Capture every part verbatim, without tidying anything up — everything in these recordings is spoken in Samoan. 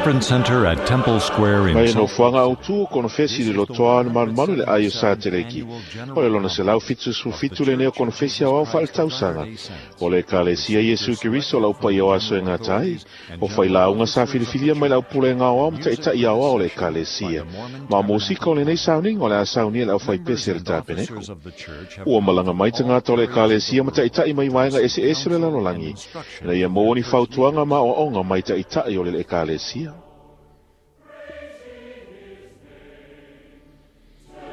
conference center at Temple Square in Mai no Salt fuanga au tu kono fesi le lotoa no malu malu le aio sa teleki. O le lona se lau fitu su fitu le neo kono fesi au au whaal tausanga. O le kalesia Yesu Keriso lau pai o aso e ngā tai. O whai launga sa filifilia mai lau pule ngā au mta ita i au au le kalesia. Ma mosika o le nei sauninga o le a saunia le au whai pese le tapeneko. Ua malanga mai te ngā tole kalesia ma taita'i mai waenga ese ese le lalolangi. Ina ia mō ni fautuanga ma o onga mai taita'i o le ekalesia.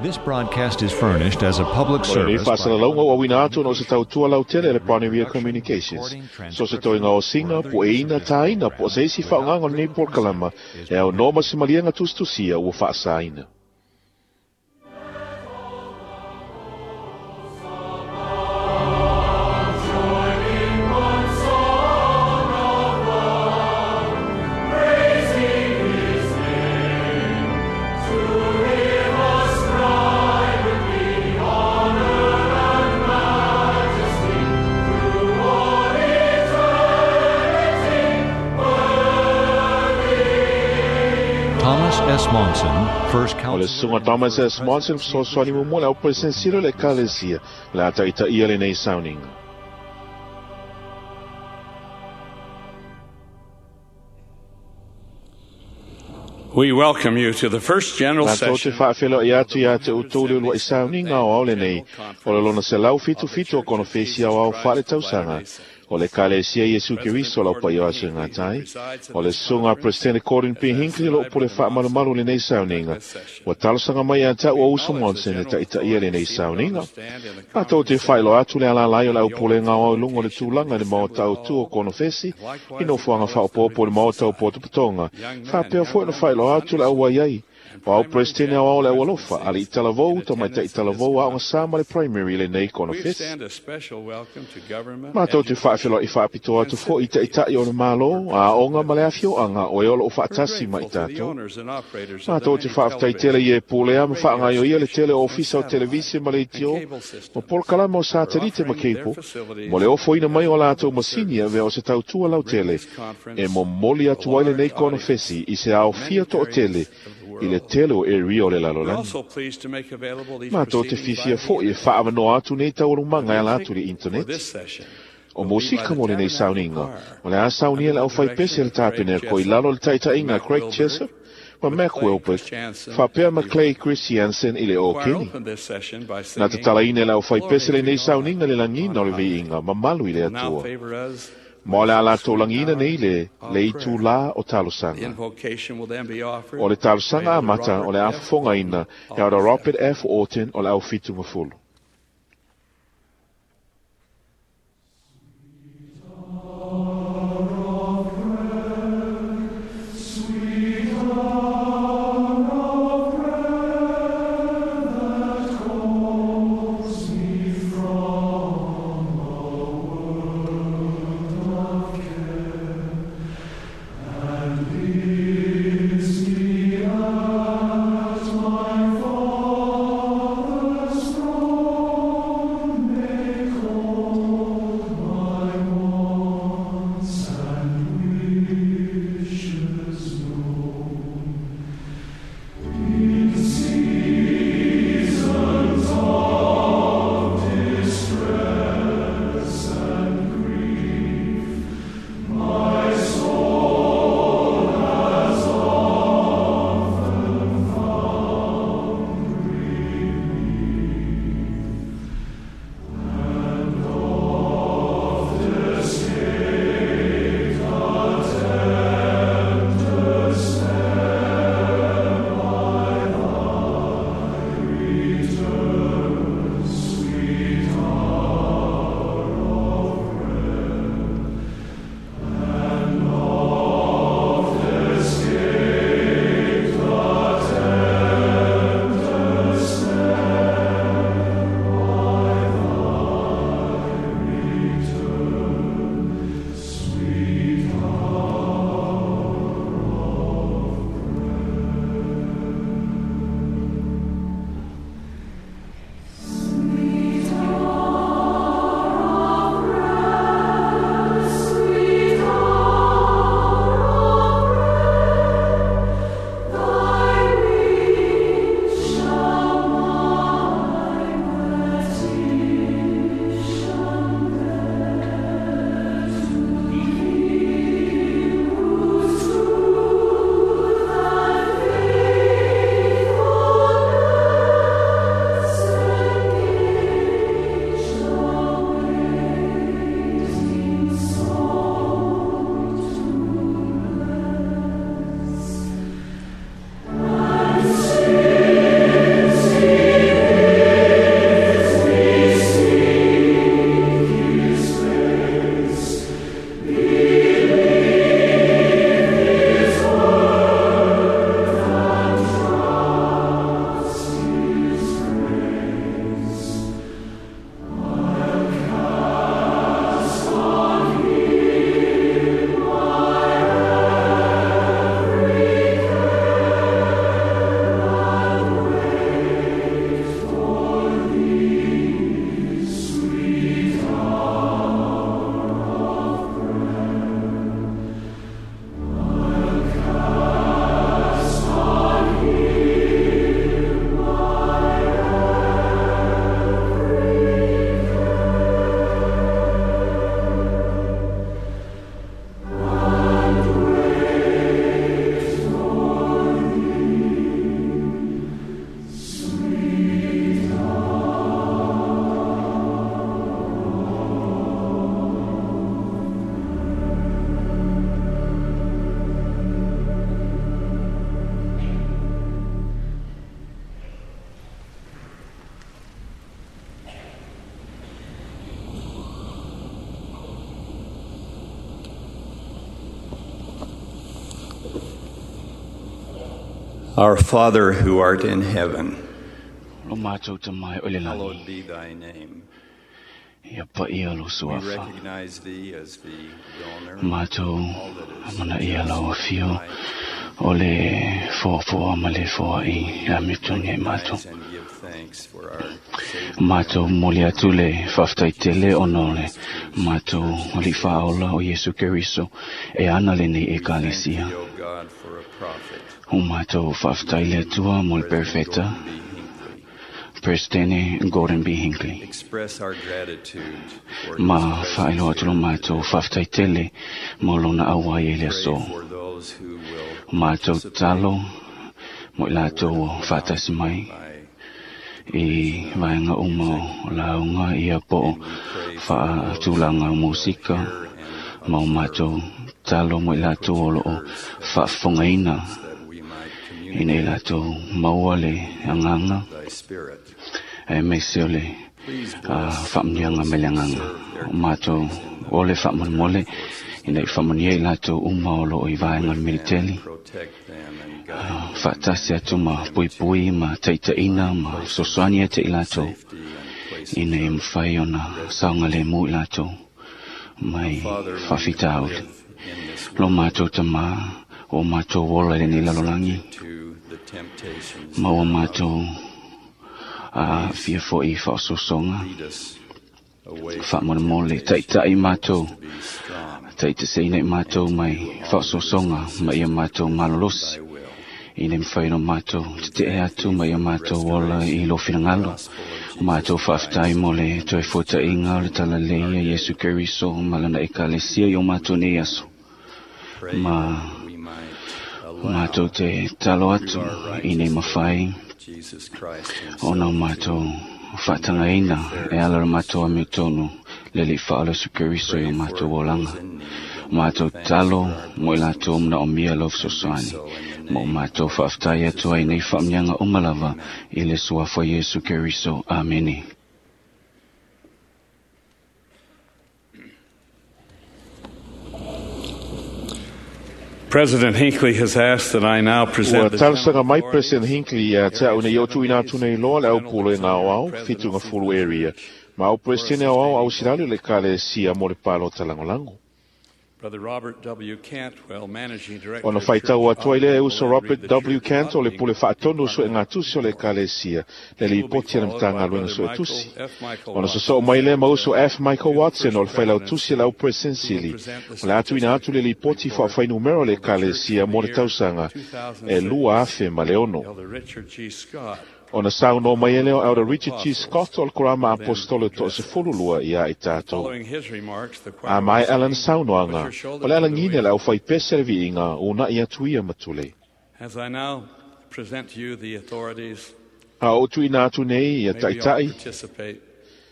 This broadcast is furnished as a public O le service by whaasalalauga o awina atu no se tautua lautele le Pioneer Communications. So se toenga o singa, po e ina tāina, po se isi whaonganga o nei polokalama, e au noma se malianga tusitusia ua whaasaina. Thomas S. Monson, first O le counselor sunga Thomas S. Monson fesoasoani muamua le au presidente le ekalesia, le a taitaia lenei sauniga. We welcome you to the first general Mātou te session whaawhelo i atu i a te utou le ulua i sauniga o au lenei, o le lona se lau fitu fitu o kono fesi au au whaale tausanga, o le kalesia Yesu Keriso lau pai o aso ngā tai, o le sunga President Gordon P. Hinckley lo pule whaamalumalu lenei sauniga, ua talosanga mai a tau o Uso Monson e taitaia lenei sauniga. Mātou te whailo atu le alalai o le au pule ngā au lungo le tūlanga le maota au tu o kono fesi, i no fuanga whaopopo le maota o Potopotonga, whapea fo no whailo atu le au ai. O au presidente au au le au alofa, ali i talavou, ta mai ta i talavou a o ngā le primary le nei kono We fesi. extend a special welcome to government, Mātou te whaawhelo i whaapito atu fo i te itai o le malo, a onga ma le awhioanga o e olo o whaatasi mai grateful to the tātou. owners and operators of the Mātou te many whaaftai tele i e pōlea ma whaangaio ia le tele o ofisa o and televise ma le itio, cable systems ma polokalama o satelite ma for offering their keipo, facilities mo le ofoina mai o lātou masini a vea o se tautua lau tele, e mo moli atu ai le nei kono fesi i se ao fia to o tele, i le tele o e rio le We're lalolani. also pleased to make available these Mātou te proceedings whiwhia by fo i e whaamanoa atu nei tauarumanga e ala atu le for internet. this session. O mosika mo lenei sauniga, o le a saunia le au whaipese le tāpene ko i lalo le taitainga Craig Jessup, ma Mac Wilbert, whapea ma Clay Christiansen i le o Choir Kenny. opened this session by Nā te singing, talaine le au whaipese le nei Glory to sauniga le langina o le viinga, mamalu i le Now atua. favor us. Ma o le a latou langina nei le, le itu la o The talosanga. invocation will then be offered O le talosanga by a mata Robert o le F. afofogaina e ora Robert F. Orton o le au fitu mafulu. Father's throne. Our Father who art in heaven, Lo mātou te mai o le lani. hallowed be thy name. Ia pa ia lo We suafa. recognize thee as the donor Mātou all that is amana ia lau afio right. o le foafoa ma le foa i a mitongi e mātou. Recognize and give thanks for our Savior. Mātou moli atu le whaftai tele ona o le mātou o le whaola o Yesu Keriso e ana le nei e We thank kalesia. thee, O God, for a prophet, O mātou whaftai le atua mo le President perfeta, Gordon B. Hinckley. Presidente Gordon B. Hinckley. Express our gratitude for his Ma presence whaelo atu lo here mātou today. whaftai tele mo lona awai e le Pray aso. for those who will Mātou participate talo mo i in the lātou word o of mouth whātasi mai by i vaenga uma o launga ia po and we pray for those who whaatulanga will musika hear and ma o observe mātou talo mo i and put lātou o loo ears that have whaafongaina ears that we might ina i communicate lātou maua le anganga thy spirit. e meise o le Please uh, bless whaamnianga those me le who anganga. serve their O mātou countries in the o le military whaamolemole forces ina i there. whaamanuia i lātou uma o loo i Be vaenga with le them and militeli. protect them and guide them Whaatasi and atu help ma them to puipui ma taitaina find ma places sosoani ate i of lātou safety and places ina i of mwhai ona refuge. saunga le mu i lātou mai Father, we whawhitauli. live in this Lo world mātou te mā o mātou wola i lenei lalolagi subject to the temptations ma o thereof. mātou a Please fia foi whaososonga lead us away from whaamolemole temptation. taitai Help us mātou to be strong taitaseina i mātou and to mai do all that is whaososonga ma ia consistent mātou with malolosi thy will. i le mwhai no mātou We te te e thank atu thee ma ia for the mātou ola i restoration lo of the whinangalo. gospel of O mātou Jesus whaftai Christ mo le and toi his fota church inga o le in tala our leia day. Yesu Keriso malana e kalesia i o mātou nei aso. Pray Ma that we might mātou allow te talo through atu our i nei righteous mawhai living Jesus Christ ona o himself to mātou conduct the whaatangaina e affairs ala of o his mātou a church. tonu le li whaala Yesu Keriso i o Pray mātou for olanga. those in need and give Mātou thanks talo for our mo i lātou blessings mna o mia lau and do fesoasoani. so in the Ma o name mātou of whaaftai Jesus atu ai nei Christ. whaamnianga umalava Amen. i le suafa Yesu Keriso. Amene. President Hinckley has asked that I now Ua present the general talosaga mai President authorities, Hinckley ia te Area au nei o seven tuina days, atu nei loa le au General pulo e ngā Auxiliary au, whitunga Presidency of fulu the area. Church Ma au for a President au au au sustaining silali vote. le kale sia mo le palo talangolango. Brother Robert W. Cantwell, Managing Director Ona of whaitau Church atu ai lea Auditing, e will uso then read Robert the W. Church Cantwell le Auditing pule whaatonu so e Department ngā tusi o le report. kale sia, le He li will be poti ana followed by mtanga luenga Brother so e Michael tusi. F. Michael Ona Watson, soso mai le mauso Secretary F. Michael to the Watson o First le whailau tusi Presidency, lau President who will Sili. present the O le atu ina atu le statistical lipoti report whaawhainumero le of the kale church sia for the mo le year tausaga e lua two thousand six. afe ma le ono. Elder Richard G. Scott, Ona sau no mai ele o of Elder the Richard G. Apostles, Scott o le korama will then apostolo to address se us. fululua ia i tātou. Following his remarks, the A choir will mai Alan sing, Put saunoanga, Your o Shoulder le to the alangine Wheel. le au whai pese le viinga o na ia tuia matule. As I now present to you the authorities, A o tuina atu nei ia may we all taitai, participate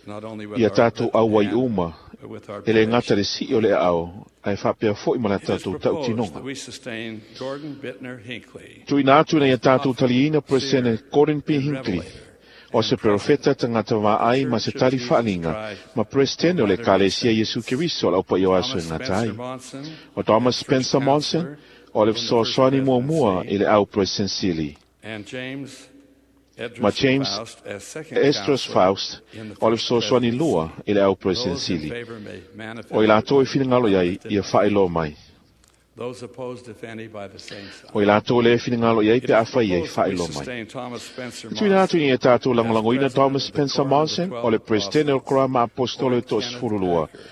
not only with ia our tātou lifted au wai hand, uma, but with our e le ngata benediction. le si o le ao, ai whapea foi ma la It is tātou proposed tautinoga. that we sustain Gordon Bittner Hinckley Tuina atu nei a as tātou prophet, taliina seer, presene Gordon P. and Hinckley, revelator, o and se president profeta tangata of the vaai ma Church se of tali Jesus whaalinga, Christ ma of presene o le Latter-day kalesia Yesu Saints. Keriso lau pa i o aso e Thomas ngā tai. Spencer Monson O Thomas as First Spencer Monson, Counselor o le in the First fesoasoani muamua Presidency, i le au presensili. and James Ma Edris James Faust as Second Esdras Counselor Faust, in the o le First fesoasoani Presidency. lua i le au Those in presensili. favor may O i manifest it lātou by e whinangalo iai, lifted ia hand. whaelo mai. Those opposed, if any, by the same O i sign. lātou le whinangalo iai It pe is awhai iai proposed that we whaelo mai. sustain Thomas Spencer Tuina atu Monson ni e tātou as langolangoina President Thomas of the Spencer Quorum of the Monson, o Twelve le presidente o Apostles, Korama Apostolo Boyd to Kenneth sfurulua. Packer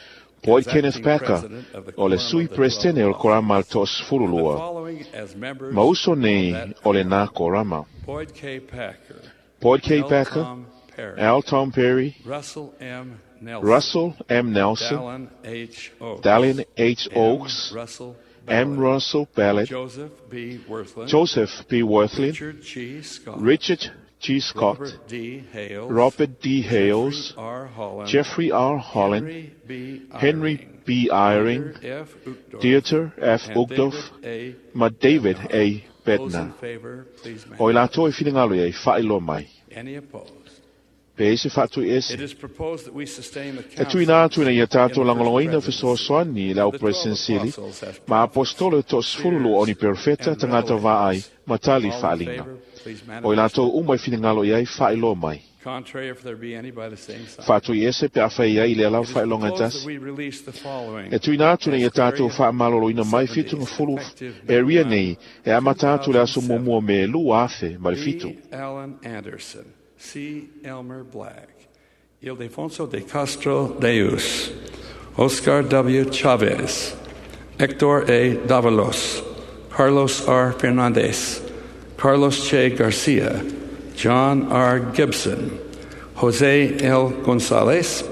Boyd as Kenneth acting Packer, President of the o le Quorum sui of the Twelve presidente o le Korama Apostles, to and the sfurulua. following as members Mauso of nei that o le quorum: nā Korama. Boyd K. Packer, Boyd K. L. Packer, Tom Perry, Al Tom Perry, Russell M. Nelson, Russell M. Nelson, Dallin H. Oaks, Dallin H. M. Oaks, Russell M. Ballard, Russell Ballard, Joseph B. Wirthlin, Joseph B. Wirthlin, Richard G. Scott, Richard G. Scott, Robert D. Hales, Robert D. Jeffrey Hales, R. Holland, Jeffrey R. Holland, Henry B. Henry Eyring, B. Eyring, Dieter F. Uchtdorf, Dieter F. and Uchtdorf, David A. ma David Bednar. A. Those in Bednar. favor, please O i manifest. lātou e whinangalo iai, whailo mai. Any opposed? Pe e se whaatui It ese. is proposed that we sustain the E tuina atu counsel ina ia tātou in the first langolongoina presidency fesoasoani i le of au the twelve presensili, apostles as ma prophets, apostolo to sefulu o ni seers, perfeta and tangata vaai, revelators. ma tali All in whaalinga. favor, please O i manifest. lātou uma i whiningalo i ai whaailoa mai. Contrary, if there be any, by the same sign. Whaatui ese pe awhai ai i le alau It is whailonga proposed that tasi. we release the following E tuina atu nei as e tātou Area whaamaloloina mai seventy, whitunga fulu effective e May ria one, nei e amata atu le aso two thousand seven. muamua me lua afe ma le fitu. B. Allen Anderson, C. Elmer Black, Ildefonso de Castro Deus, Oscar W. Chavez, Hector A. Davalos, Carlos R. Fernandez, Carlos Che Garcia, John R. Gibson, Jose L. Gonzalez,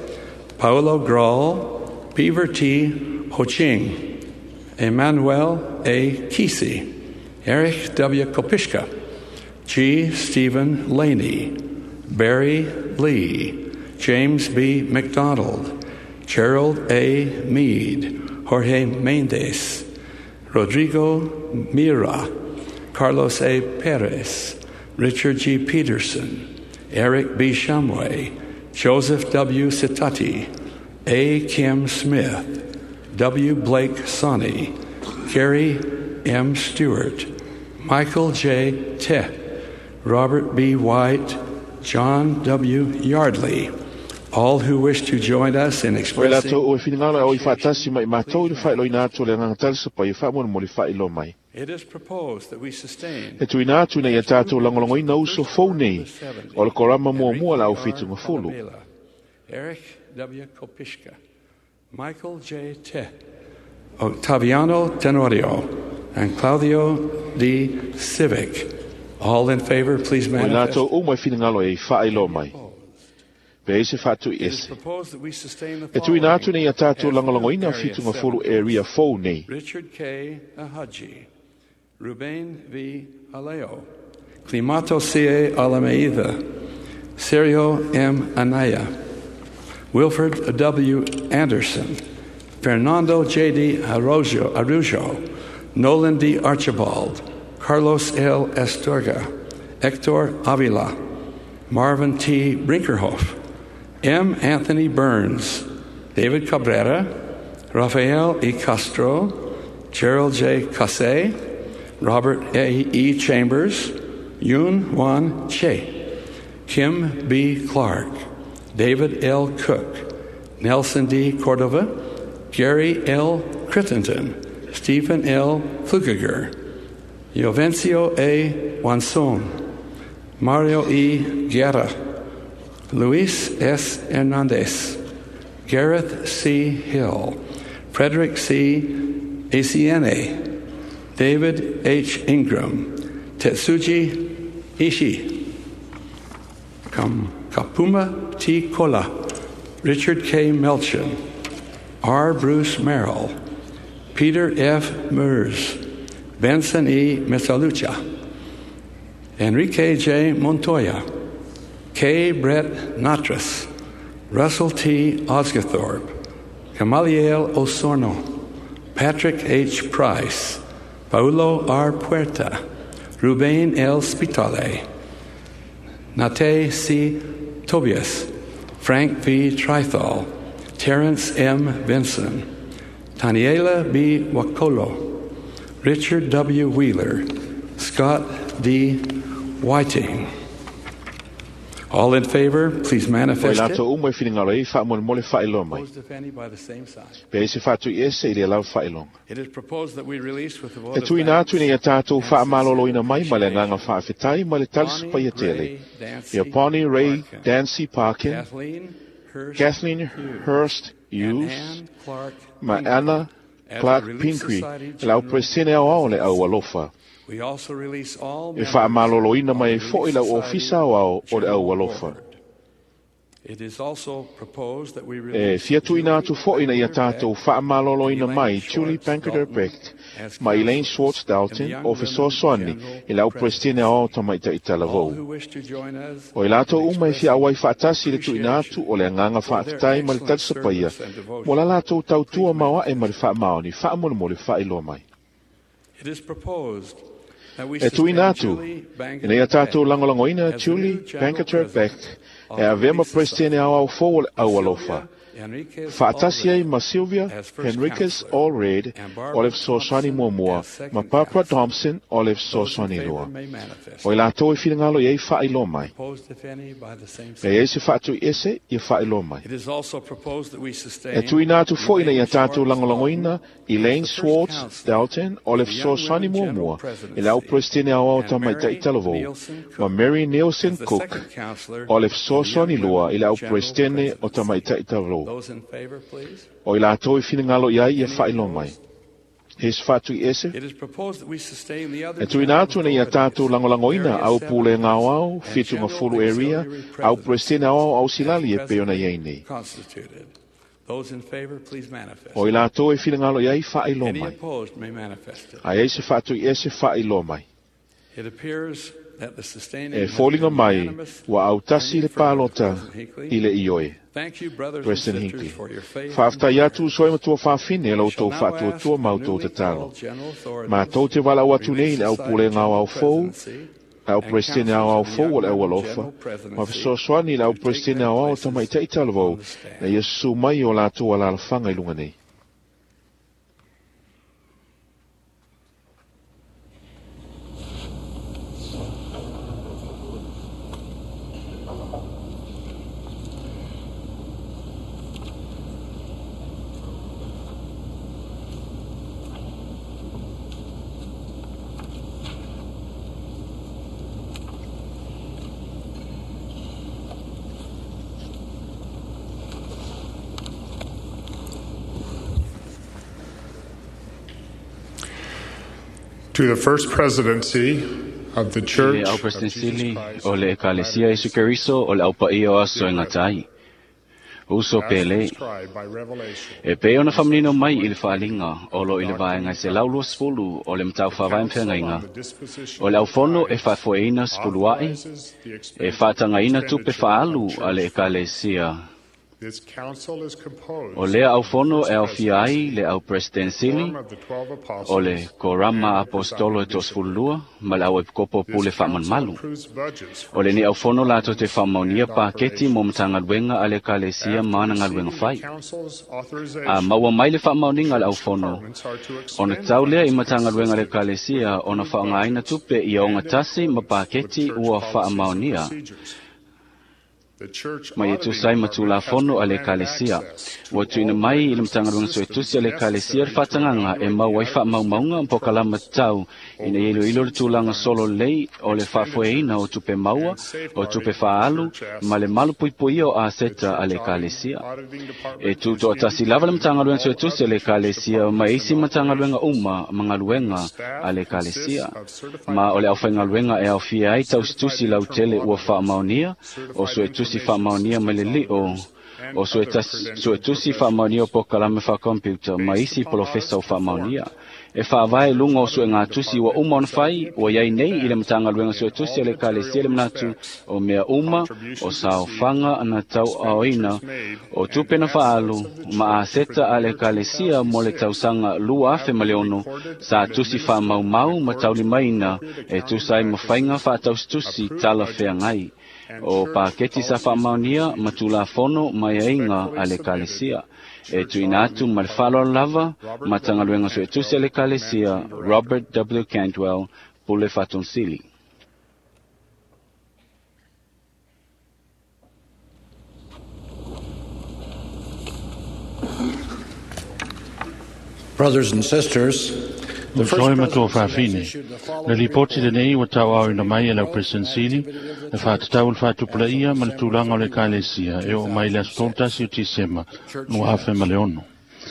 Paolo Graul, Beaver T. Ho Ching, Emmanuel A. Kesey, Erich W. Kopishka, G. Stephen Laney, Barry Lee, James B. McDonald, Gerald A. Mead, Jorge Mendez, Rodrigo Mira, Carlos A. Perez, Richard G. Peterson, Eric B. Shumway, Joseph W. Sitati, A. Kim Smith, W. Blake Sonny, Gary M. Stewart, Michael J. Teh, Robert B. White, John W. Yardley. All who wish to join us in O i expressing lātou o e whiningalo e o i whaatasi mai mātou i le please whaailoina atu le nganga talisa pa i whaamona mo le whaailoa mai. It is proposed that we sustain E tuina atu nei e as tātou group langolongoina the uso first fou part of nei the seventy, o le korama muamua Enrique la au R. whitunga fulu. Falabella, Eric W. Kopishka, Michael J. Teh, Octaviano Tenorio, and Claudio D. Civic. All in favor, please O i manifest. lātou uma i whiningalo e i whaailoa mai. Opposed. Pe e se whaatui It is ese. proposed that we sustain the E tuina atu following nei a tātou as new langolongoina Area whitunga fulu seventy. area fou nei. Richard K. Ahaji, Ruben V. Aleo, Climato C. A. Alameida, Sergio M. Anaya, Wilford W. Anderson, Fernando J. D. Arrojo, Arujo, Nolan D. Archibald, Carlos L. Astorga, Hector Avila, Marvin T. Brinkerhoff, M. Anthony Burns, David Cabrera, Rafael E. Castro, Gerald J. Cassé, Robert A. E. Chambers, Yoon Wan Che, Kim B. Clark, David L. Cook, Nelson D. Cordova, Gary L. Crittenden, Stephen L. Flukiger, Jovencio A. Wanson, Mario E. Guerra, Luis S. Hernandez, Gareth C. Hill, Frederick C. Aciene, David H. Ingram, Tetsuji Ishii, Kam- Kapuma T. Kola, Richard K. Melchin, R. Bruce Merrill, Peter F. Mers, Benson E. Misalucha, Enrique J. Montoya, K. Brett Natras, Russell T. Osgathorpe, Gamaliel Osorno, Patrick H. Price, Paulo R. Puerta, Ruben L. Spitale, Nate C. Tobias, Frank V. Trithal, Terrence M. Vinson, Taniela B. Wakolo, Richard W. Wheeler, Scott D. Whiting. All in favor, please O i manifest it. lātou uma i whiningalo e i whaamona mo le whaailoa mai. Opposed, if any, by the same sign. Pe e se whaatui ese i le alau whaailoga. It is proposed that we release with the vote E of tuina atu thanks nei a tātou and whaamaloloina sincere mai ma le nganga appreciation. whaafetai ma le talisa Bonnie paia tele. Ray Dancy Ia Bonnie Ray Parkin, Dancy Parkin, Kathleen Hurst Kathleen Hughes, Hurst and Hughes, Ann Clark ma Pingree Anna as the Clark Relief Pingree, Society le au General presene au ao le au Presidents. alofa. We also release all E members whaamaloloina of mai the e Relief fo'i lau Society ofisa au ao o le au General alofa. Board. It is also proposed that we E release fia tuina Julie atu fo'i na ia Banker tātou Beck and whaamaloloina Elaine mai Julie Schwartz Banker Dalton Beck as ma Elaine counselors Schwartz in the Dalton Young o Women fesoasoani General i lau presene Presidency. au ao tamaita i All talavou. who wish to join us O i in lātou uma e fia expressing awai whaatasi le tuina atu appreciation o le anganga for their whaatatai ma le excellent talisa paia. service and Mo la devotion, lātou tautua please maua e ma le manifest. whaamaoni, whaamona mo le whaailoa mai. It is proposed that we E tuina sustain atu, Julie ina ia Banker tātou Beck langolangoina as the Julie new General Bankerter Beck President E avea ma Peresetene Aoao fou o le Aualofa. Faatasi ai ma Sylvia Henriquez Allred o le fesoasoani muamua ma Barbara Thompson o le fesoasoani lua. O i latou e finagalo i ai faailoa mai. E i ai se faatuiese ia faailoa mai. E tuuina atu foi ina ia tatou lagolagoina Elaine Swartz Dalton o le fesoasoani muamua i le au Peresetene Aoao Tamaitai Talavou ma Mary Nielsen Cook o le fesoasoani lua i le au Peresetene o Tamaitai Talavou. O i latou e finagalo i ai ia faailoa mai. E se faatuiese, e tuuina atu ina ia tatou lagolagoina au pulega aoao, fitu gafulu area, au Peresetene Aoao Ausilali e pei ona i ai nei. O i latou e finagalo i ai faailoa mai. A i ai se faatuiese faailoa mai. E foliga mai ua autasi le palota i le ioe. President Hinckley. Faafetai atu uso ai matua faafine la outou faatuatua ma outou tatalo. Matou te valaau atu nei i le au pulega aoao fou, le au Peresetene Aoao fou o le Aualofa, ma fesoasoani i le au Peresetene Aoao Tamaitai Talavou, na ia susu mai o latou alalafaga i luga nei. To the First Presidency of the Church Le au of President Jesus Sili Christ o le Ekalesia Iesu Keriso o le au paia o aso e ngatai. Uso as pele, prescribed by Revelation, e pei ona faamanino mai i le faaaliga o lo i le vaega e selau luasefulu o le matau faavae Council mafeagaiga. on the Disposition O le of aufono e Tithes faafoeina sefulua'i, authorizes the e expenditure faatagaina tupe of faaalu church a le funds. Ekalesia. This council is composed O lea aufono of the e First aofia ai Presidency, le au President Sili, quorum of the Twelve Apostles, o le Korama and the Apostolo e presiding bishop. toasefululua ma le au epikopo This pule council faamalumalu. approves budgets for O lenei church aufono latou te meetings faamaonia and paketi mo operations. matagaluega a le Ekalesia After ma ana galuega receiving the fai. council's A authorization, maua mai le faamaoniga a le church aufono, departments are to ona expend tau lea i funds matagaluega a le consistent Ekalesia with ona approved faaaogaina budgets tupe ia and in ogatasi ma accordance with paketi church ua policies and faamaonia. procedures. The church Ma ia auditing tusa ai ma department has tulafono been a le granted Ekalesia. access to Ua tuuina all mai i le records and Matagaluega systems Suetusi a le Ekalesia le necessary to faatagaga e evaluate mau the ai adequacy of faamaumauga ma pokalama controls tatau ina over ia iloilo le receipts of tulaga solo funds, lelei o le faafoeina o expenditures, tupe maua, and o safeguarding tupe of faaalu, church ma le assets. malupuipuia o The aseta a church le auditing Ekalesia. auditing E department is tutoatasi lava le independent of Matagaluega all Suetusi a other le church Ekalesia ma departments isi and Matagaluega operations. uma ma The galuega a staff le consists Ekalesia. of certified Ma o le public aufaigaluega e accountants, aofia ai certified tausitusi internal lautele ua auditors, faamaonia, o certified suetusi information faamaonia mai le systems li'o, auditors, and o other suetas- credentialed suetusi faamaonia o professionals. pokalame faakompiuta ma Based isi upon polofesa audits o faamaonia. performed, E faavae the church luga o auditing suegatusi ua department uma ona is of fai, the ua iai opinion nei i le that Matagaluega in Suetusi all a le Ekalesia material le manatu respects, o mea uma, o contributions received, saofaga na tauaoina, expenditures made, o and tupe na assets faaalu, of the ma church for aseta the a le year Ekalesia mo le two thousand six tausaga lua afe have ma le been ono, recorded sa and tusi administered in faamaumau ma accordance with taulimaina appropriate e accounting tusa ai ma faiga practices, faatausitusi approved tala budgets, feagai. and O church paketi sa policies and faamaonia ma procedures. tulafono ma aiaiga a Respectfully le submitted, Ekalesia. E Church tuuina atu Auditing ma le Department, faaaloalo lava, Robert W. Matagaluega Suetusi a Cantwell, le Ekalesia, Managing Director. Robert W. Cantwell, Pule Fatonsili. Brothers and sisters, the First Uso e matua Presidency has faafine. issued the Le following lipoti report lenei ua tauaoina concerning mai e the lau growth President and Sili, activity of le the church faatatau le as of faatupulaia ma le December tulaga o le thirty-first, Ekalesia e oo mai le aso two thousand six. tolu tasi o Tisema, Church lua afe ma units, le ono.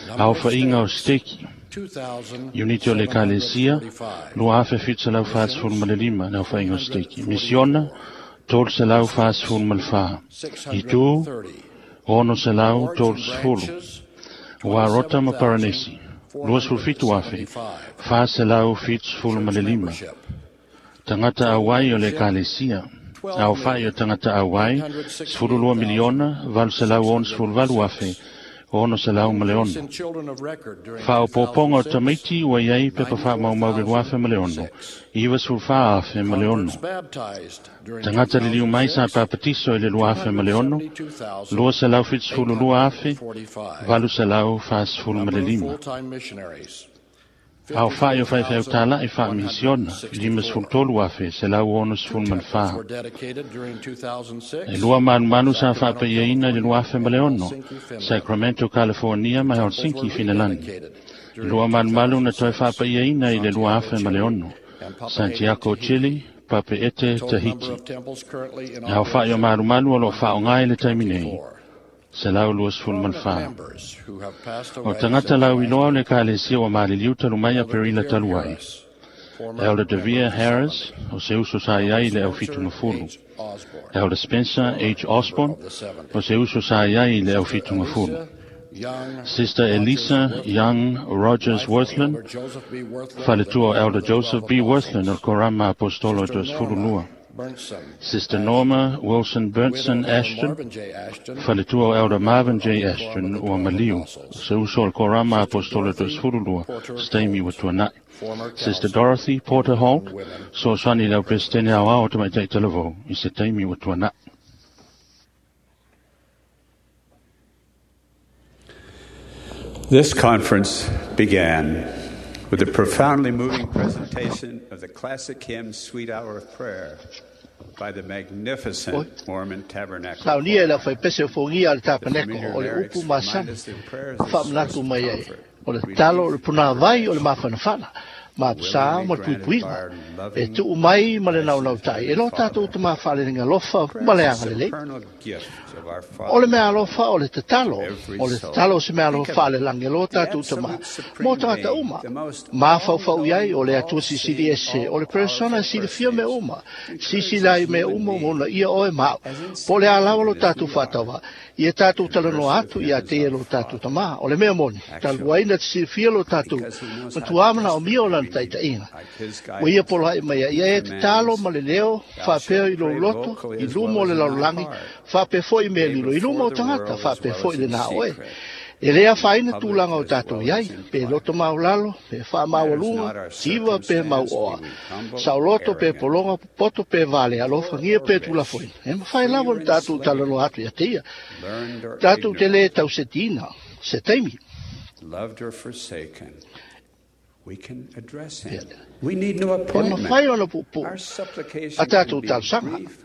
number of Aofaiga o stakes, steki, two thousand Uniti o le seven hundred Ekalesia, forty-five. lua afe fitu selau fasefulu ma Missions, le lima le three aofaiga o hundred steki. Misiona, forty-four. tolu selau Districts, fasefulu ma le fa. six Itu, hundred thirty. ono selau Wards tolu and sefulu. branches, Ua rota twenty-seven ma thousand Paranesi, four lua hundred sefulu fitu afe, seventy-five. fa selau fitu sefulu ma Church le lima. membership, Tagata total auai o le membership, Ekalesia. twelve Aofai o million tagata auai, eight hundred sefulu lua sixty-eight thousand miliona, valu selau six ono hundred sefulu valu afe, six. ono selau ma le ono. Faaopoopoga o tamaiti ua i ai pepa faamaumau i le luafe ma le ono, iva sefulufa afe ma le ono. Tagata liliu mai sa papatiso i le luafe ma le ono, lua selau fitusefulu lua afe, valu selau fasefulu ma le lima. Aofa'i o faifeau tala'i faamisiona, lima sefulu tolu afe, selau ono sefulu ma le fa. E lua manumanu sa faapaiaina i le luafe ma le ono, Sacramento, California ma Helsinki, Finelani. E lua malumalu na toe faapaiaina i le lua afe ma le ono, Santiago, Chile, Papeete, Tahiti. E aofa'i o malumalu o loo faaoga i le taimi nei, selau lua sefulu ma le fa. O tagata lauiloa o le ekalesia ua maliliu talu mai Aperila talu ai. Elder Devere Harris, o se uso sa i ai i le aufitugafulu. Elder Spencer H. Osborne, o se uso sa i ai i le aufitugafulu. Sister Elisa Young Rogers Worthland, faletua o Elder Joseph B. Worthland o le Korama Apostolo e toasefulu lua. Sister Norma Wilson Berntson Ashton, faletua o Elder Marvin J. Ashton ua maliu, se uso o le Korama Apostolo e toasefulu lua, se taimi ua tuana'i. Sister Dorothy Porter Holt, soasoani i le aupesetene aoao o tamaita'i talavou, i se taimi ua tuana'i. This conference began with a profoundly moving presentation of the classic hymn Sweet Hour of Prayer by the magnificent Mormon Tabernacle. Saunia i le aufaipese o fogia a le tapaneko o le upu masani faamanatu mai ai o le tatalo o le punāvai o le mafanafana ma apasā ma le puipuiga e tuu mai ma le naunautai e lo tatou tamā faalelega alofa ma le agalelei. O le mea alofa o le tatalo, o le tatalo o se mea alofa faalelagi e lo tatou tamā mo tagata uma. Mafaufau i ai o le Atua Silisili Ese, o le persona e silafia mea uma, silasila ai mea uma ma ona ia oe ma au. Po o le a lava lo tatou faatauvaa, ia tatou talanoa atu ia te ia lo tatou tamā. O le mea moni, talu ai na te silafia lo tatou matuā manaomia o lana taitaiga. Ua ia poloa'i mai ai, ia e tatalo ma le leo faapea i lou loto, i luma o le lalolagi, faapea foi mea lilo i luma o tagata, faapea foi lenā oe. E le afaina tulaga o tatou i ai, pe loto maulalo, pe faamaualuga, siva pe mauoa, saoloto pe pologa, popoto pe vale, alofagia pe tulafoina. E mafai lava ona tatou talanoa atu ia te ia. Tatou te lē tausetiina se taimi. Loved or forsaken, we can address him. We need no E appointment. mafai ona puupuu Our supplication a can tatou be talosaga. brief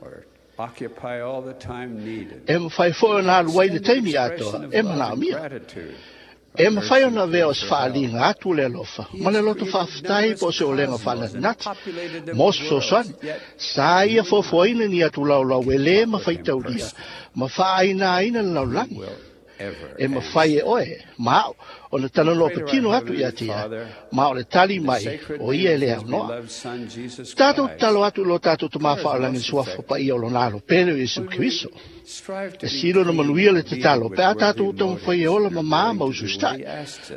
or occupy all the time needed. E mafai foi ona alu ai le taimi Expression atoa of e love and manaomia. gratitude. E mafai ona avea o se faaliga atu le alofa ma le loto faafetai po o se olega faanatinati mo se fesoasoani. Sa ia foafoaina ni atu laulau e lē mafaitaulia ma faainaina le lalolagi. E mafai e oe ma au ona talanoa patino atu ia te ia, ma o le tali mai o ia e le aunoa. Tatou tatalo atu i lo tatou tamā faaolagi i le suafa paia o lona alo pele o Iesu Keriso. E sili ona manuia le tatalo pe a tatou taumafai e ola mamā ma ususita'i,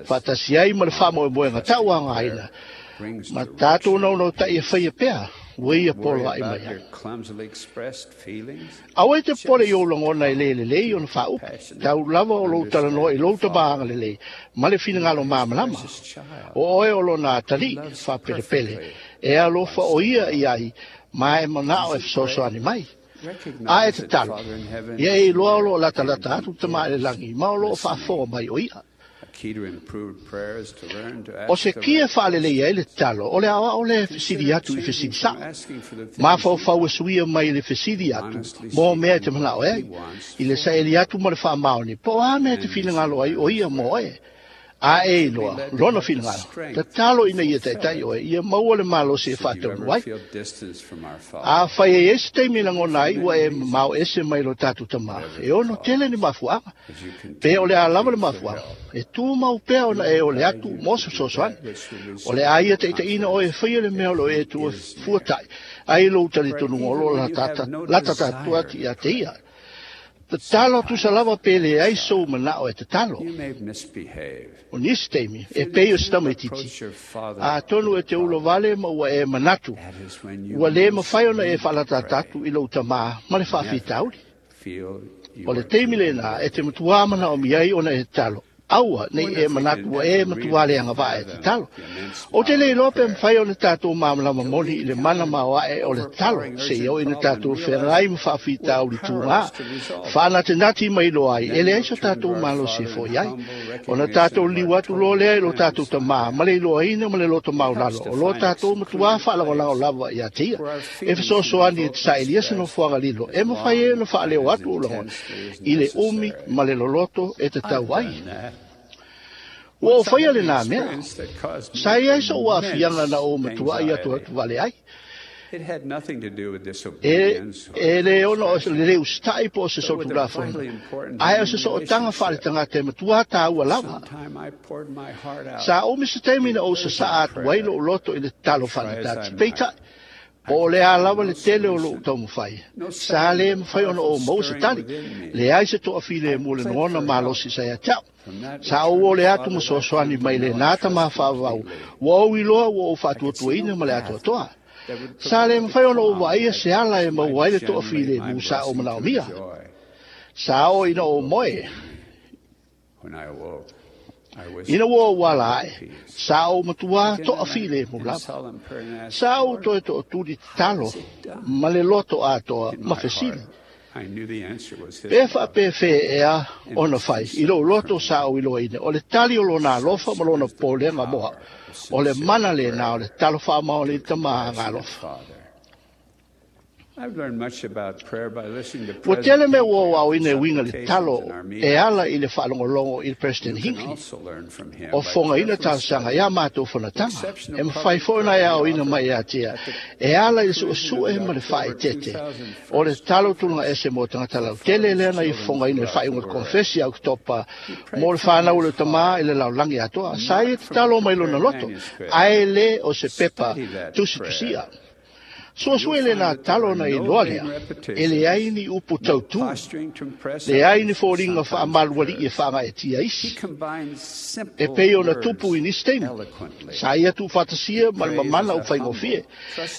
faatasi ai ma le faamoemoega tauagaina, ma tatou naunautai e faia pea ua ia Worry poloa'i about mai ai. your clumsily expressed feelings. Aua e te popole i ou lagona e lē lelei ona faaupu, tau lava o lou talanoa i lou tamā agalelei ma le finagalo malamalama. O oe o lona atalii faapelepele, e alofa o ia i ai, ma e manao e fesoasoani mai. A e Recognize that tatalo, Father in heaven ia is e iloa o near loo latalata and atu tamā i le lagi, ma o loo faafofoga mai o ia. A key to improved prayer is to learn to O ask se the kia right faalelei ai le tatalo, o le aoao le fesili Consider atu i changing fesili from saʻo. asking for the things Mafaufau e suia mai le fesili atu, honestly mo mea e te seeking manao what ai, he wants i le saili atu ma le faamaoni, po o a mea te and finagalo ai o ia mo oe. A e be iloa, led to lona have the finagalo. strength Tatalo to ina ia fulfill taitai it. oe, ia maua le malosi e Should you faataunu ever ai. feel distance from our A Father, fai e ai se taimi lagona for ai, ua many e reasons, mamao ese mai lo tatou tamā. whatever E the ono tele cause, ni mafuaaga. as you Pe o continue le to a lava le plead for mafuaaga. help, E tumau pea ona He e o will le guide atu you mo to se do fesoasoani. that which will O le result a in ia the taitaiina oe e confidence faia le mea o lo e that He tua is near. fuatai. Ai lou Pray talitonuga o even lo when you latata have no latata atu desire ia to te pray. ia. Tatalo tusa Sometimes, lava pe le ai as a sou child, manao e tatalo. you may misbehave. O nisi taimi, e Feel you pei o se cannot tamaititi. approach your Father A tonu with e a te ulo problem. vale ma ua e manatu. That is when you Ua lē most mafai ona e need to faalatata pray. atu i lou tamā ma le Never faafitauli. feel O le taimi lena e te matuā manaomia ai ona e tatalo. Aua nei e manatu ua e matuā le agavaa e tatalo. O te le iloa pe mafai ona tatou malamalama moni i le mana maoae o le tatalo, seia oo ina tatou feagai ma faafitauli tugā, faanatinati mai iloa ai, e leai so tatou malosi e fo'i ai. Ona tatou liliu atu loa lea i lo tatou tamā ma le iloaina ma le loto maulalo o lo tatou matuā faalagolago lava ia te ia. E fesoasoani e te saʻilia se nofoaga lilo e mafai ai ona faaleo atu ou lagona i le umi ma le loloto e tatau ai. Ua ou faia lenā mea. Sa i ai soʻu aafiaga na ou matuaʻi atu atu vale ai. E, e lē ona o le lē usitaʻi po o se solitulafono, ae o se sootaga faaletagata e matuā tāua lava. Sa umi se taimi na ou sasaʻa atu ai loʻu loto i le tatalo faanatati. Peitai, po o le a lava le tele o loʻu taumafai, sa lē mafai ona ou maua se tali. Leai se toafilemu o le lagona malosi sa ia te a'u. Sa ou ole atu ma soasoani mai lenā tamā faavavau, ua ou iloa ua ou faatuatuaina ma le atoatoa. Sa lē mafai ona ou vaaia se ala e maua ai le toafilemu sa ou manaomia. Sa oo ina ou moe. Ina ua ou ala aʻe, sa ou matuā toafilemu lava. Sa ou toe toʻatuli tatalo ma le loto atoa ma fesili. Pe faapefē ea ona fai i lou loto sa ou iloaina o le tali o lona alofa ma lona popolega mo a'u, o le mana lenā o le tatalo faamaoni i le tamā agalofa. Ua tele mea ua ou aoina e uiga i le tatalo e ala i le faalogologo i le President Hinckley o fofogaina talosaga iā matou fonotaga. E mafai foi ona e aoina mai ia te ia e ala i le suʻesuʻe ma le faaeteete o le tatalo tulaga ese mo tagata lautele lea na ia fofogaina i le faaiuga o le konefesi a Oketopa mo le fanau o le tamā i le lalolagi atoa. Sa ia tatalo mai lona loto, ae lē o se pepa tusitusia. Suasua lenā tatalo ona iloa lea, e leai ni upu tautū, leai ni foliga faamalualiʻi e faagaeatia isi, e pei ona tupu i nisi taimi. Sa ia tuufaatasia ma le mamana o faigofie.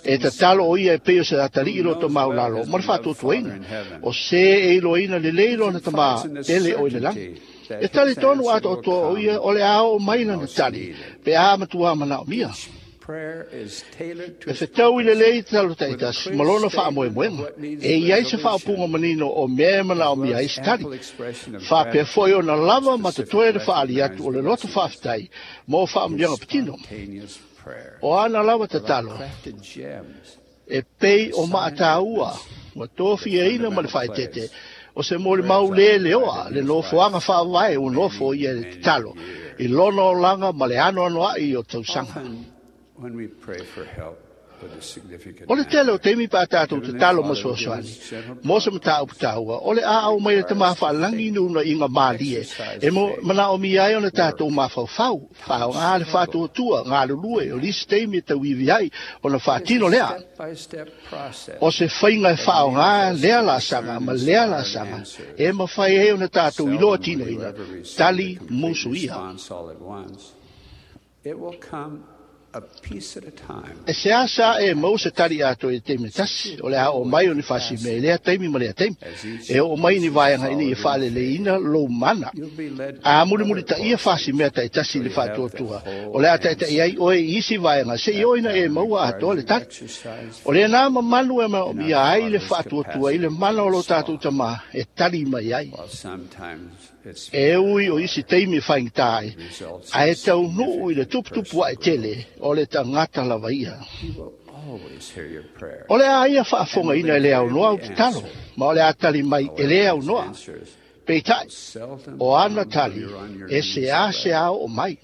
E tatalo o ia e pei o se atalii loto maulalo ma le faatuatuaina, o se e iloaina lelei lona tamā tele o i le lagi. E talitonu atoatoa o ia o le a oo mai lana tali pe a matuā manaomia. E fetau i lelei tatalo taʻitasi ma lona faamoemoega, e i ai se faaupuga manino o mea e manaomia ai se tali. Faapea foi ona lava ma totoe le faaali atu o le loto faafetai mo faamanuiaga patino. O ana lava tatalo e pei o maataua ua tofiaina ma le faaeteete o se molimau lē leoa le nofoaga faavae ua nofo ia i le tatalo i lona olaga ma le anoanoaʻi o tausaga. O le tele o taimi pe a tatou tatalo ma soasoani mo se mataupu taua, o le a au mai le tamā faalagi ni uunaiga malie e manaomia ai ona tatou mafaufau, faaaogā le faatuatua, galulue o lisi taimi e tauivi ai ona faatino lea. O se faiga e faaaogā lea laasaga ma lea laasaga e mafai ai ona tatou iloa tinoina tali musu ia. E seāseā e maua se tali atoa i le taimi e tasi, o le a oo mai o ni faasimea i lea taimi ma lea taimi. E oo mai ni vaega ina ia faaleleina lou mana. A mulimulitaʻia faasimea taʻitasi i le faatuatua, o le a taʻitaʻi ai oe i isi vaega seia oo ina e maua atoa le tali. O lenā mamalu e manaomia ai le faatuatua i le mana o lo tatou tamā e tali mai ai. E ui o isi taimi e faigata ai, ae taunuu i le tuputupu aʻe tele o le tagata lava ia. O le a ia faafofogaina e le aunoa au tatalo, ma o le a tali mai e le aunoa. Peitai, o ana tali e seāseā oo mai.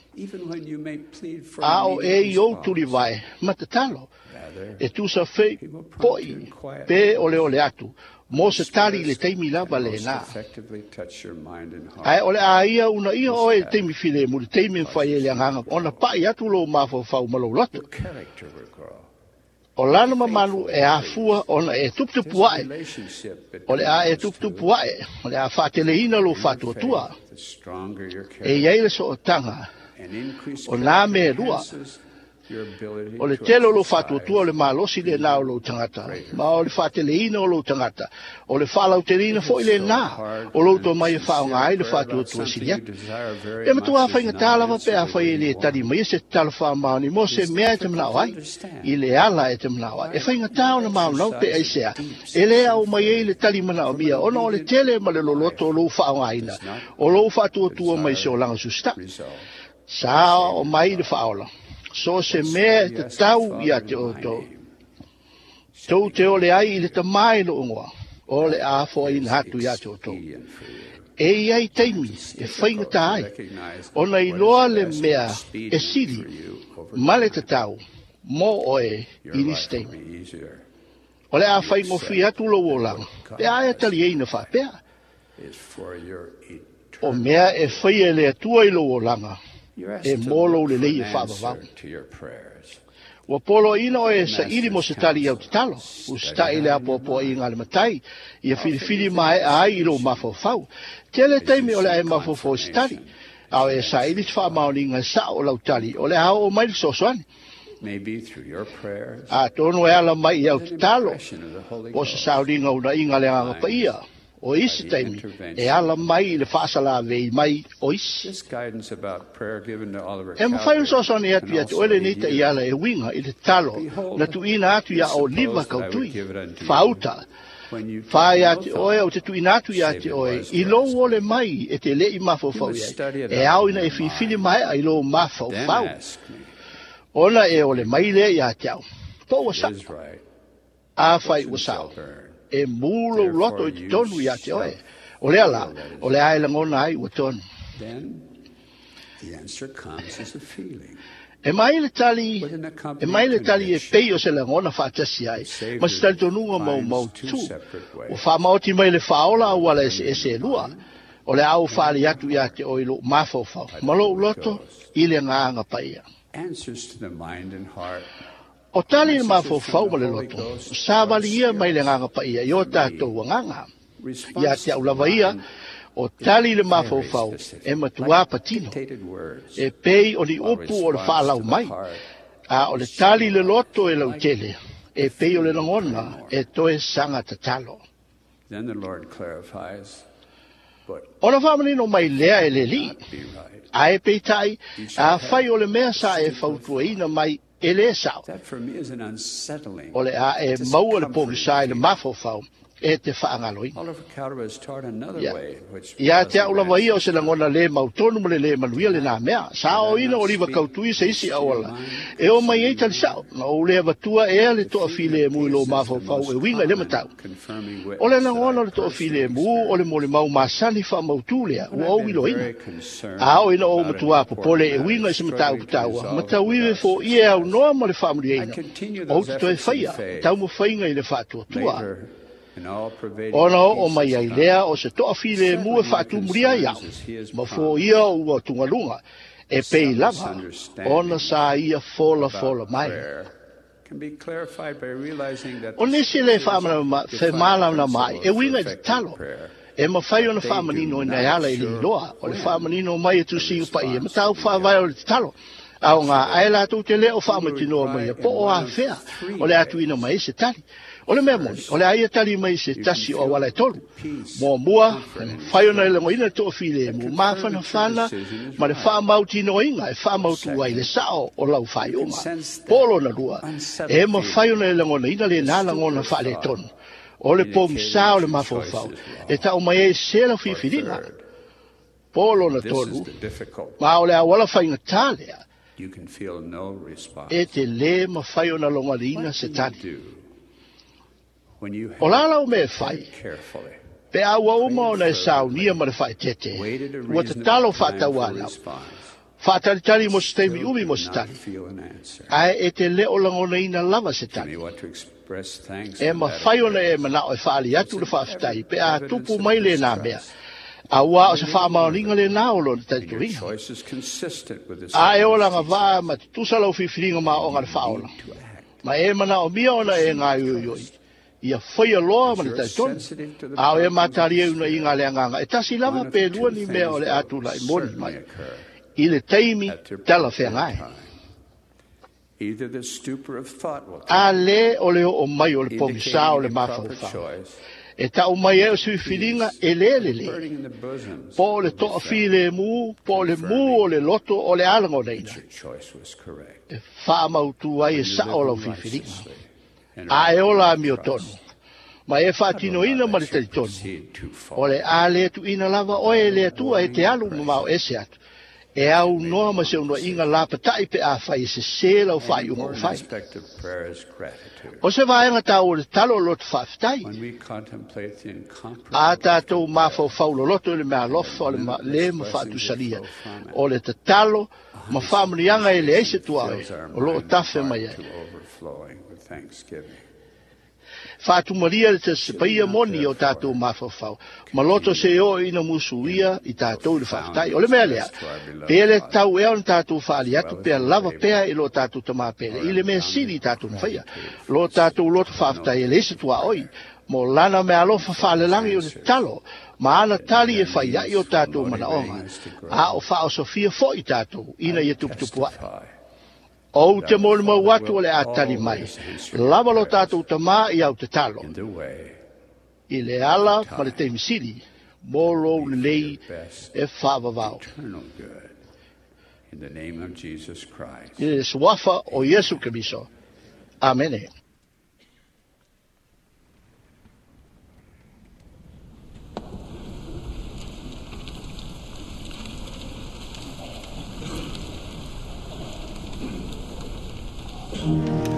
A o e i ou tulivae ma tatalo, e tusa fei poʻi pe oleole atu mo se tali i le taimi lava lenā. Ae o le a ia uunaia oe i le taimi filemu, le taimi e mafai ai le agaga ona paʻi atu lou mafaufau ma lou loto. O lana mamalu e afua ona e tuputupu aʻe, o le a e tuputupu aʻe, o le a faateleina lou faatuatua. E i ai le sootaga o nā mea e lua. O le tele o lou faatuatua o le malosi lenā o lou tagata, ma o le faateleina o lou tagata, o le faalauteleina foi lenā o lou tomai e faaaoga ai le faatuatua sili atu. E matuā faigata lava pe afai e lē tali maia se tatalo faamaoni mo se mea e te manao ai, i le ala e te manao ai. E faigata ona maonau pe aisea, e lē ao mai ai le tali manaomia, ona o le tele ma le loloto o lou faaaogaina, o lou faatuatua mai se olaga susitaʻi. Sa o mai le faaola. So se mea e tatau ia te outou. Tou te ole ai i le tamā i lou igoa, o le a foaina atu ia te outou. E iai taimi e faigata ai, ona iloa le mea e sili ma le tatau mo oe i nisi taimi. O le a faigofie atu lou olaga, pe a e taliaina faapea. O mea e faia e le Atua i lou olaga, e mo lou lelei e faavavau. Ua poloaina oe e saili mo se tali i au tatalo, usitaʻi le apoapoaiga a le matai, ia filifili maeʻa ai i lou mafaufau. Tele taimi o le a e mafaufau i se tali, a o e saili se faamaoniga e saʻo o lau tali, o le a oo mai le fesoasoani. Atonu e ala mai i au tatalo, po o se sauniga uunaiga a le Agaga Paia, o isi taimi e ala mai i le faasalavei mai o isi. E mafai ona fesoasoani atu ia te oe lenei taiala e uiga i le tatalo na tuuina atu iā Oliva Kautui. Faauta, fa ia te oe ou te tuuina atu ia te oe i lou ole mai e te leʻi mafaufau i ai, e ao ina e filifili maeʻa i lou mafaufau. Ona e ole mai lea iā te au. Po ua saʻo. Afai ua saʻo, e mū lou loto i totonu iā te oe. O lea la, o le a e lagona ai ua tonu. E mai le tali, e mai le tali e pei o se lagona faatasi ai, ma se talitonuga maumautu. Ua faamaoti mai le faaola auala eseese e lua, o le a ou faali atu iā te oe i lou mafaufau, ma lou loto i le Agaga Paia. O tali i le mafaufau ma le loto, savali ia mai le Agaga Paia i o tatou agaga. Ia te au lava ia, o tali i le mafaufau e matuā patino, e pei o ni upu o le faalau mai, a o le tali i le loto e lautele, e pei o le lagona e toe saga tatalo. Ona faamanino mai lea e le Alii, ae peitai, afai o le mea sa e fautuaina mai e lē saʻo, o le a e maua le pogisā i le mafaufau e te faagaloina. Ia, ia te au lava ia o se lagona lē mautonu ma le lē manuia lenā mea. Sa oina o Liva Kautui se isi auala e o mai ai tali saʻo, na ou lē avatua ea le toafilemu i lou mafaufau e uiga i le matau. O le lagona o le toafilemu o le molimau masani faamautū lea ua ou iloaina. A oo ina ou matuā popole e uiga i se mataupu taua, ma tauive foia e aunoa ma le faamuliaina, ou te toe faia taumafaiga i le faatuatua. Ona oo mai ai lea o se toafilemu e faatumulia ai au, ma foia o ua tugaluga, e pei lava ona sa ia folafola mai. O nisi le femalamalama ai, e uiga i tatalo, e mafai ona faamanino ina e ala i le iloa, o le faamanino mai e tusiga paia, mataupu faavae o le tatalo, a o ngā ae latou te lē o faamatinoa mai po o afea o le atuina mai ai se tali. O le mea moni, o le a ia tali mai se tasi o auala e tolu. Muamua, e mafai ona e lagoina le toafilemu mafanafana ma le faamautinoaina e faamautu ai le saʻo o lau faaiuga. Po o lona lua, e mafai ona e lagonaina lenā lagona faaletonu. O le pogisā o le mafaufau, e taʻu mai ai se lau filifiliga. Po o lona tolu, ma o le auala faigatā lea, e te lē mafai ona logaliina se tali. O la lau mea e fai, pe a ua uma ona e saunia ma le faaeteete, ua tatalo faatauanau, faatalitali mo se taimi umi mo se tali, ae e te lē o lagonaina lava se tali. E mafai ona e manaʻo e faali atu le faafetai pe a tupu mai lenā mea, auā o se faamaoniga lenā o lona talitonuina. A e olaga vaa ma tutusa lau filifiliga ma aoga le faaola, ma e manaomia ona e gaioioi, ia faia loa ma le talitonu, a o e matalia unaiga a le Agaga e tasi lava pe lua ni mea o le a tulaʻi moni mai i le taimi talafeagai. A le o le o mai o le pogisa o le mafaufau. E tau mai e o suifiliga e le le le. Po o le toa file mu, po o le mu o le loto o le alagonaina. E whaamautu ai e sao lau fifiliga. A e ola a mio tonu. Ma e whaatinoina ma le talitonu. O le a le tuina lava oe le atua e te alu mamao ese atu. E au noa ma se unua inga la patai pe a whai e se se lau whai unga o whai. O se vaenga tau o le talo o loto whaaftai. A tātou mawhau loloto i le mea alofa o le ma, le ma whaatusalia. O le tatalo ma whaamunianga e le eise tua e o loo tafe mai ai. Whaatumaria le te sepaia moni o tātou mawhawhau. Ma loto se o ina musuia i tātou le whaaftai. O le mea lea, pe le tau ea o tātou whaali atu, pea lava pea i lo tātou tamapele. I le mea sili i tātou mwhaia. Lo tātou loto whaaftai e le ese tua oi. Mo lana mea alofa whaalelangi o le talo. Ma ana tali e whai ai o tātou manaonga. A o whaosofia fo i tātou, ina ia tuputupu ai. O te molu mau atu o le atali mai. Lava lo tātou tamā i au te talo. I le ala ma le teimisili, mō lou lelei e whaavavao. I le suafa o Iesu Keriso. Amene. Of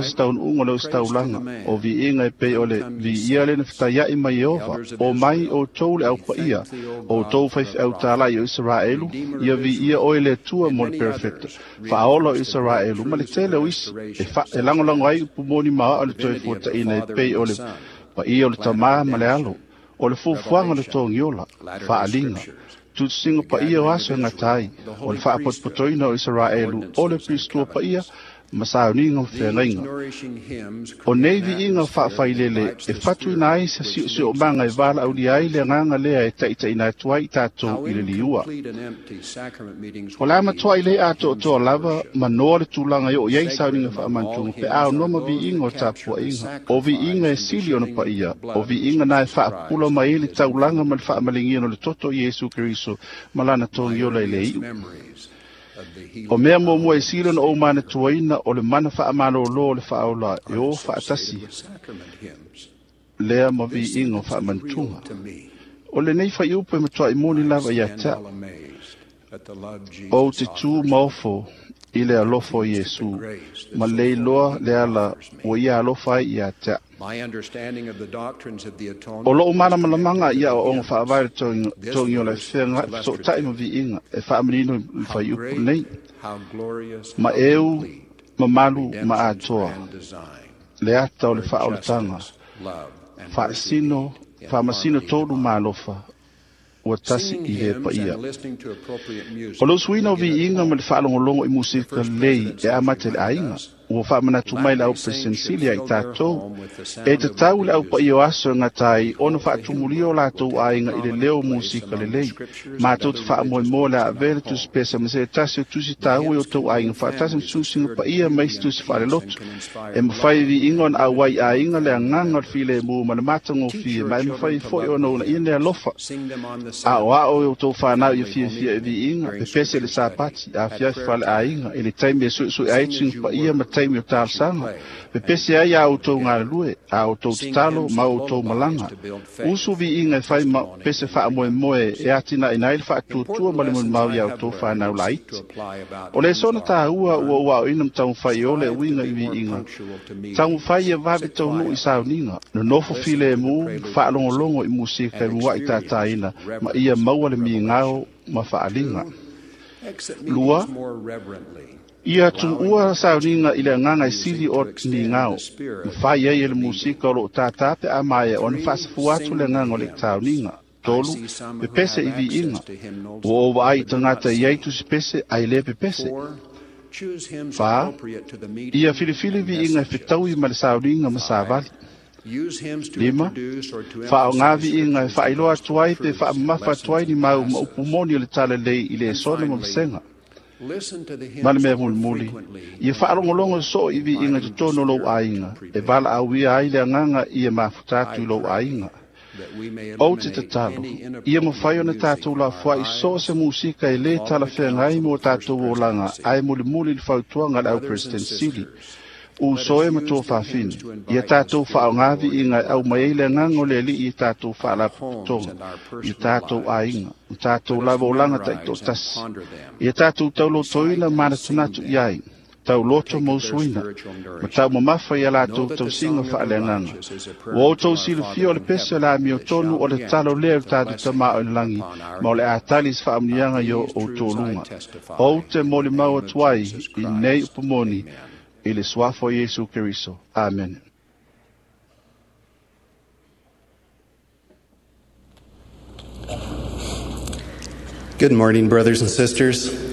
ma se taunuuga o le ositaulaga o viiga e pei o le viia le na fetaiaʻi ma Ieova. O mai outou le aupaia, outou faifeau tālaʻi o Isaraelu, ia viia oe le Atua mo le perofeta faaola o Isaraelu ma le tele o isi e, fa, e lagolago ai upu moni ma aoao le toe fuataʻina e pei o le Paia o le tamā ma le alo, o le fuafuaga o le togiola, faaliga, tusisiga paia o aso e gata ai, o le faapotopotoina o Isaraelu, o le Piristua paia, ma sauniga ma feagaiga. O nei viiga faafailele e fatuina ai se siosiomaga e valaaulia ai le agaga lea e taitaiina atu ai i tatou i le liua. O le a matuai le atoatoa lava ma noa le tulaga e oo i ai sauniga faamanatuga pe a aonoa ma viiga o tapuaiga. O viiga e sili ona paia, o viiga na e faapupula mai ai le taulaga ma le faamaligia o le toto i Iesu Keriso ma lana togiola i le iu. O mea muamua e sili ona ou manatuaina o le mana faamalōlō o le faaola e o faatasi lea ma viiga o faamanatuga. O lenei faiupu e matuai moni lava ia te a'u. Ou te tu maofo i le alofa o Iesu, ma le iloa le ala ua ia alofa ai ia te a'u. O lou malamalamāga i aoaoga faavae le togiola e feagai fesootai ma viiga e faamanino i le faiupu nei. Ma eu mamalu ma atoa le ata o le faaolataga, faasino, faamasino tolu ma alofa, ua tasi i le paia. O le usuina o viiga ma le faalogologo i musika lelei e amata i le aiga, ua faamanatu mai le au Peresetene ia i tatou, e tatau le aupaia o aso e gata ai ona faatumulia o latou aiga i le leo o musika lelei. Matou te faamoemoe le a avea le tusi pesa ma se tasi o tusi taua i o tou aiga faatasi ma susuga paia ma isi tusi faalelotu. E mafai e viiga ona auai i aiga le agaga o le filemu ma le matagofie, ma e mafai foi ona uunaia le alofa. Aoao e o tou fanau ia fiafia e viiga, pepese i le Sapati, afiafi faleaiga, i le taimi e suesue ai tusiga paia ma taimi o talosaga. Pepese ai a outou galulue, a outou tatalo ma outou malaga. Usu viiga e fai ma pese faamoemoe e atinaʻina ai le faatuatua ma le molimau iā outou fanau laiti. O le sona tāua ua ou aoina ma taumafai e ola e uiga i viiga. Taumafai ia vave taunuu i sauniga, nonofo filemu, faalogologo i musika e muaʻi tātāina, ma ia maua le migao ma faaliga. Lua, ia tuua sauniga i le agaga e sili o migao, mafai ai e le musika o loo tātā pe a maea ona faasafua atu le agaga o le sauniga. Tolu, pepese i viiga. Ua ou vaai i tagata i ai tusipese ae le pepese. Fa, ia filifili viiga e fetaui ma le sauniga ma savali. Lima, faaogā viiga e faailoa atu ai pe faamamafa atu ai ni mau ma upu moni o le talalelei i le esona ma vasega. Ma le mea mulimuli, ia faalogologo soo i viiga i totonu o lou aiga, e valaauia ai le agaga ia mafuta atu i lou aiga. Ou te tatalo, ia mafai ona tatou lafoai so o se musika e lē talafeagai mo tatou olaga, ae mulimuli i le fautuaga a le au Peresetene Sili. Uso e ma tua faafine, ia tatou faaogā viiga e aumai ai le agaga o le Alii i tatou faalapotopotoga, i tatou aiga, ma tatou lava olaga taitoatasi. Ia tatou taulotoina manatunatu i ai, tauloto ma usuina, ma taumamafa ia latou tausiga faaleagaga. Ua outou silafia o le pese o le amiotonu o le tatalo lea i le tatou Tamā o i le lagi, ma o le a tali se faamuniaga i o outou luga. Ou te molimau atu ai i nei upu moni i le suafa o Iesu Keriso. Amene. Good morning, brothers and sisters.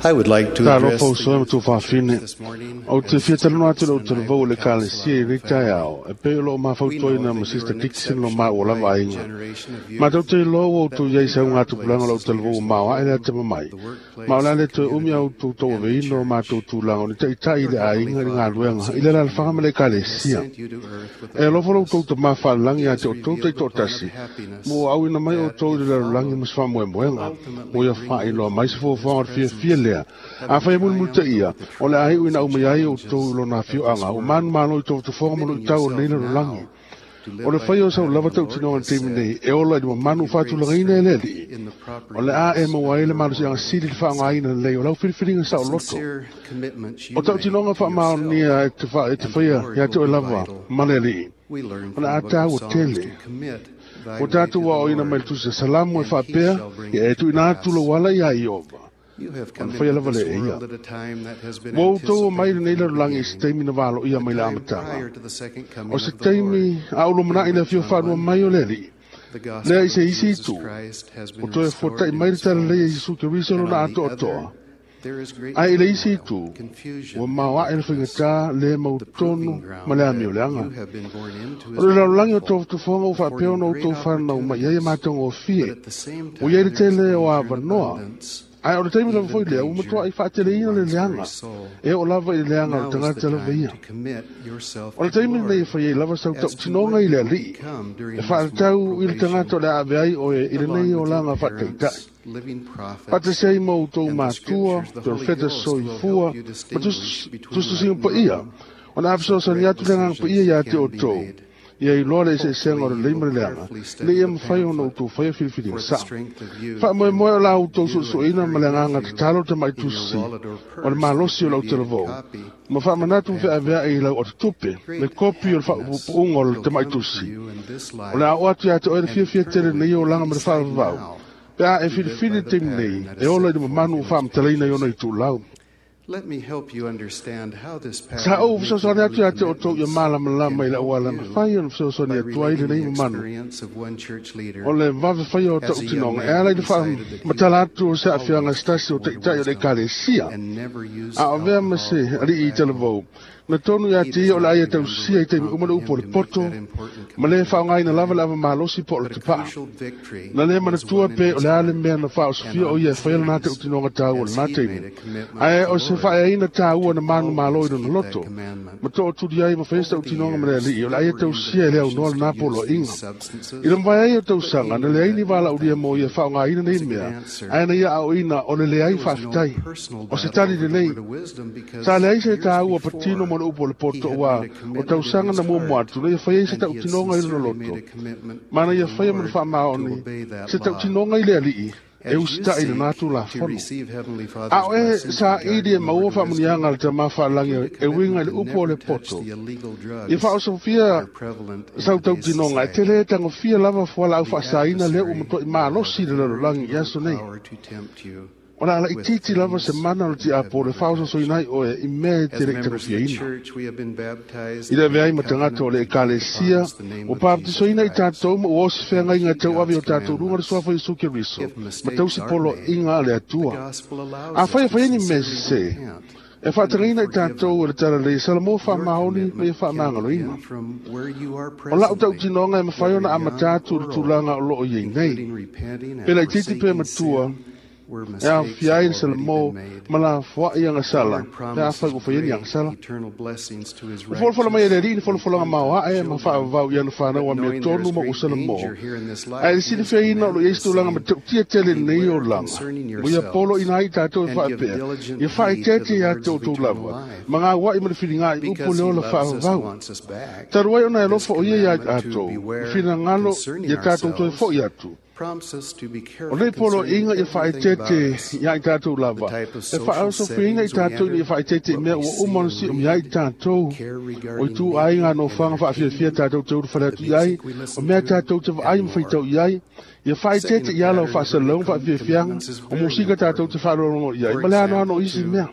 I would like to address Talofa uso e ma tuafafine. Ou te fia talanoa atu i lou talavou o le Ekalesia i lenei taeao, e pei o loo mafautoina ma Sister Dixon lo maua lava aiga. Matou te iloa ua outou i ai i sauga tupulaga o lou talavou ua maoaʻe le atamamai, ma o le a le toe umi a outou tauaveina o matou tulaga o ni taʻitaʻi i le aiga i le galuega i le alaalafaga ma le Ekalesia. E alofa lo outou tamā faalelagi ia te outou taitoatasi, ma ua auina mai outou i le lalolagi ma se faamoemoega, mo ia faailoa mai se fuafuaga o le fiafia lea. Afai e mulimulitaia, o le a iu ina aumai ai outou i lona afioaga, ua manumalo i tofotofoga ma luitau o lenei lalolagi. O le faia o sau lava tautinoga i le taimi nei, e ola i le mamanu faatulagaina e le Alii. O le a e maua ai le malosiaga sili i le faaaogaina lelei o lau filifiliga saoloto. O tautinoga faamaonia e te, fa, e te faia ia te oe lava ma le Alii. O le a tāua tele. Ua tatou aoaoina mai le tusi a Salamo e faapea, ia e tuuina atu lou ala iā Ieova. Ona faia lava lea e ia. Ua outou omai i lenei lalolagi i se taimi na valoia mai le amataga. O se taimi a ou lumanai le afio faalua mai o le Alii, lea i se isi itu, ua toe fuata'i mai le talalei e Iesu Keriso lona atoatoa. Ae i le isi itu, ua maoaʻe le faigatā le mautonu ma le amioleaga. O le lalolagi o tofotofoga ua faapea ona outou fanau mai ai e matagofie, ua iai le tele o avanoa. Ae o le taimi lava foi lea, ua matuaʻi faateleina le leaga, e oo lava i le leaga o le tagata lava ia. O le taimi lenei e fai ai lava sau tautinoga i le Alii, e faatatau i le tagata o le a ave ai oe i lenei olaga faataitai. Faatasi ai ma outou matua, perofeta soifua, ma tusitusiga paia, ona a fesoasoani atu le Agaga Paia iā te outou, ia iloa le eseesega o le lelei ma le leaga, ina ia mafai ona outou faia filifiliga saʻo. Faamoemoe o la outou suesueina ma le agaga tatalo tamaʻi tusi o le malosi o lau talavou, ma faamanatu ma feaveaʻi i lau otatupe, le kopi o le faapuupuuga o le tamaʻi tusi. O le a oo atu iā te oe le fiafia tele lenei olaga ma le faavavau, pe a e filifili le taimi nei, e ola i le mamanu ua faamatalaina i ona itulau. Sa ou fesoasoani atu iā te outou ia malamalama i le auala mafai ona fesoasoani atu ai lenei mamanu o le vave faia o tautinoga e ala i le faamatala atu o se aafiaga se tasi o taʻitaʻi o le Ekalesia, a o avea ma se alii i talavou na tonu iā te ia o le ai e tausia i taimi uma le upu o le poto, ma lē faaaogaina lava le ava malosi po o le tapaʻa. Na lē manatua pe o le a le mea na faaosofia o ia e faia lana tautinoga taua o lenā taimi, ae o se faaeaina taua na manumalo i lona loto, ma tootuli ai ma faia se tautinoga ma le Alii o le ai e tausia e le aunoa lenā poloaiga. I le mavae ai o tausaga, na leai ni valaaulia mo ia faaaogaina nei mea, ae na ia aoina o le leai faafetai. O se tali lelei, sa leai se taua patino mo le upu o le poto ua o tausaga na muamua atu, na ia faia ai se tautinoga i lona loto, ma na ia faia ma le faamaoni se tautinoga i le Alii, e usitaʻi lenā tulafono. A o e saʻili e maua faamuniaga a le tamā faalagi e uiga i le upu o le poto, ia faaosofia sau tautinoga e tele e tagofia lava fualaau faasaina lea ua matuaʻi malosi i le lalolagi i aso nei. O le a laʻitiiti lava se mana o le tiapo le faaososoina ai oe i mea e te leʻi tagofiaina. I le avea ai ma tagata o le Ekalesia, ua papatisoina i tatou ma ua osi feagaiga e tauave i o tatou luga le suafa Iesu Keriso, ma tausi poloaiga a le Atua. Afai e fai ai ni mea sesē, e faatagaina i tatou e le talalei e Salamo faamaoni ma ia faamagaloina. O lau tautinoga e mafai ona amata atu i le tulaga o loo iai nei. Pe laʻitiiti pe matua, e aofia ai le Salamo ma lafoaʻi agasala pe afai ua faia ni agasala. Ua folafola mai e le Alii le folafolaga maoaʻe ma faavavau i ana fanau amiotonu ma ua Salamo, ae le silifiaina o loo iai se tulaga matautia tele lenei olaga, ua ia poloina ai tatou e faapea, ia faaeteete iā te outou lava, ma gauaʻi ma le filigaʻi upu le ola faavavau. Talu ai ona e alofa o ia iā tatou, le finagalo ia tatou toe foʻi atu. O nei poloaiga ia faaeteete iā i tatou lava, e faaosofiaina i tatou ina ia faaeteete i mea ua uma ona siʻumia ai i tatou, o itu aiga nofoaga faafiafia tatou te ulufale atu i ai, o mea tatou te vaai ma faitau i ai, ia faaeteete i ala o faasalalauga faafiafiaga, o musika tatou te faalogologo i ai, ma le anoano o isi mea.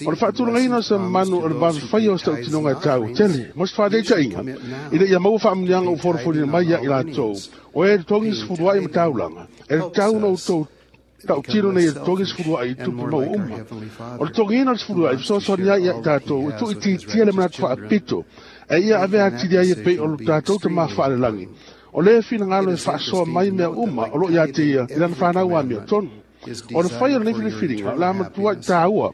O le faatulagaina o se manu o le vave faia o se tautinoga e taua tele, mo se faataitaiga, ina ia maua faamuniaga ua folafolina mai ia i latou, o e totogi sefuluaʻi ma taulaga, e tatau ona outou tautino nei e totogi sefuluaʻi i tupe maua uma. O le totogiina o le sefuluaʻi fesoasoani ai ia i tatou e tuuitiitia le manatu faapito, e ia avea atili ai e pei o lo tatou tamā faalelagi. O le finagalo e faasoa mai mea uma o loo iā te ia i lana fanau amiotonu. O le fai o lenei filifiliga, o le a matuaʻi taua,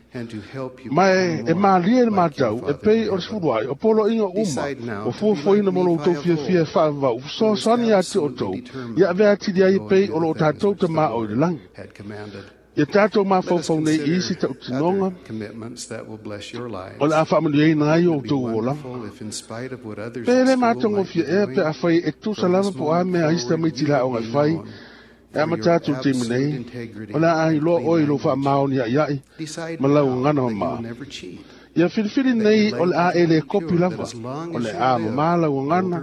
ma e malie le matau e pei o le sefuluaʻi o poloaiga uma ua fuafuaina mo lo outou fiafia e faavavau fesoasoani iā te outou, ia avea atili ai e pei o loo tatou tamā o i le lagi. Ia tatou mafaufau nei i isi tautinoga o le a faamanuiaina ai o outou olaga. Pe le matagofie ea pe afai e tusa lava po o a mea a isi tamaiti i le aoga e fai, e amata atu le taimi nei, o le a iloa oe i lou faamaoni aʻiaʻi ma lau gagana mamaa. Ia filifili nei o le a e le kopi lava, o le a mamala uagana,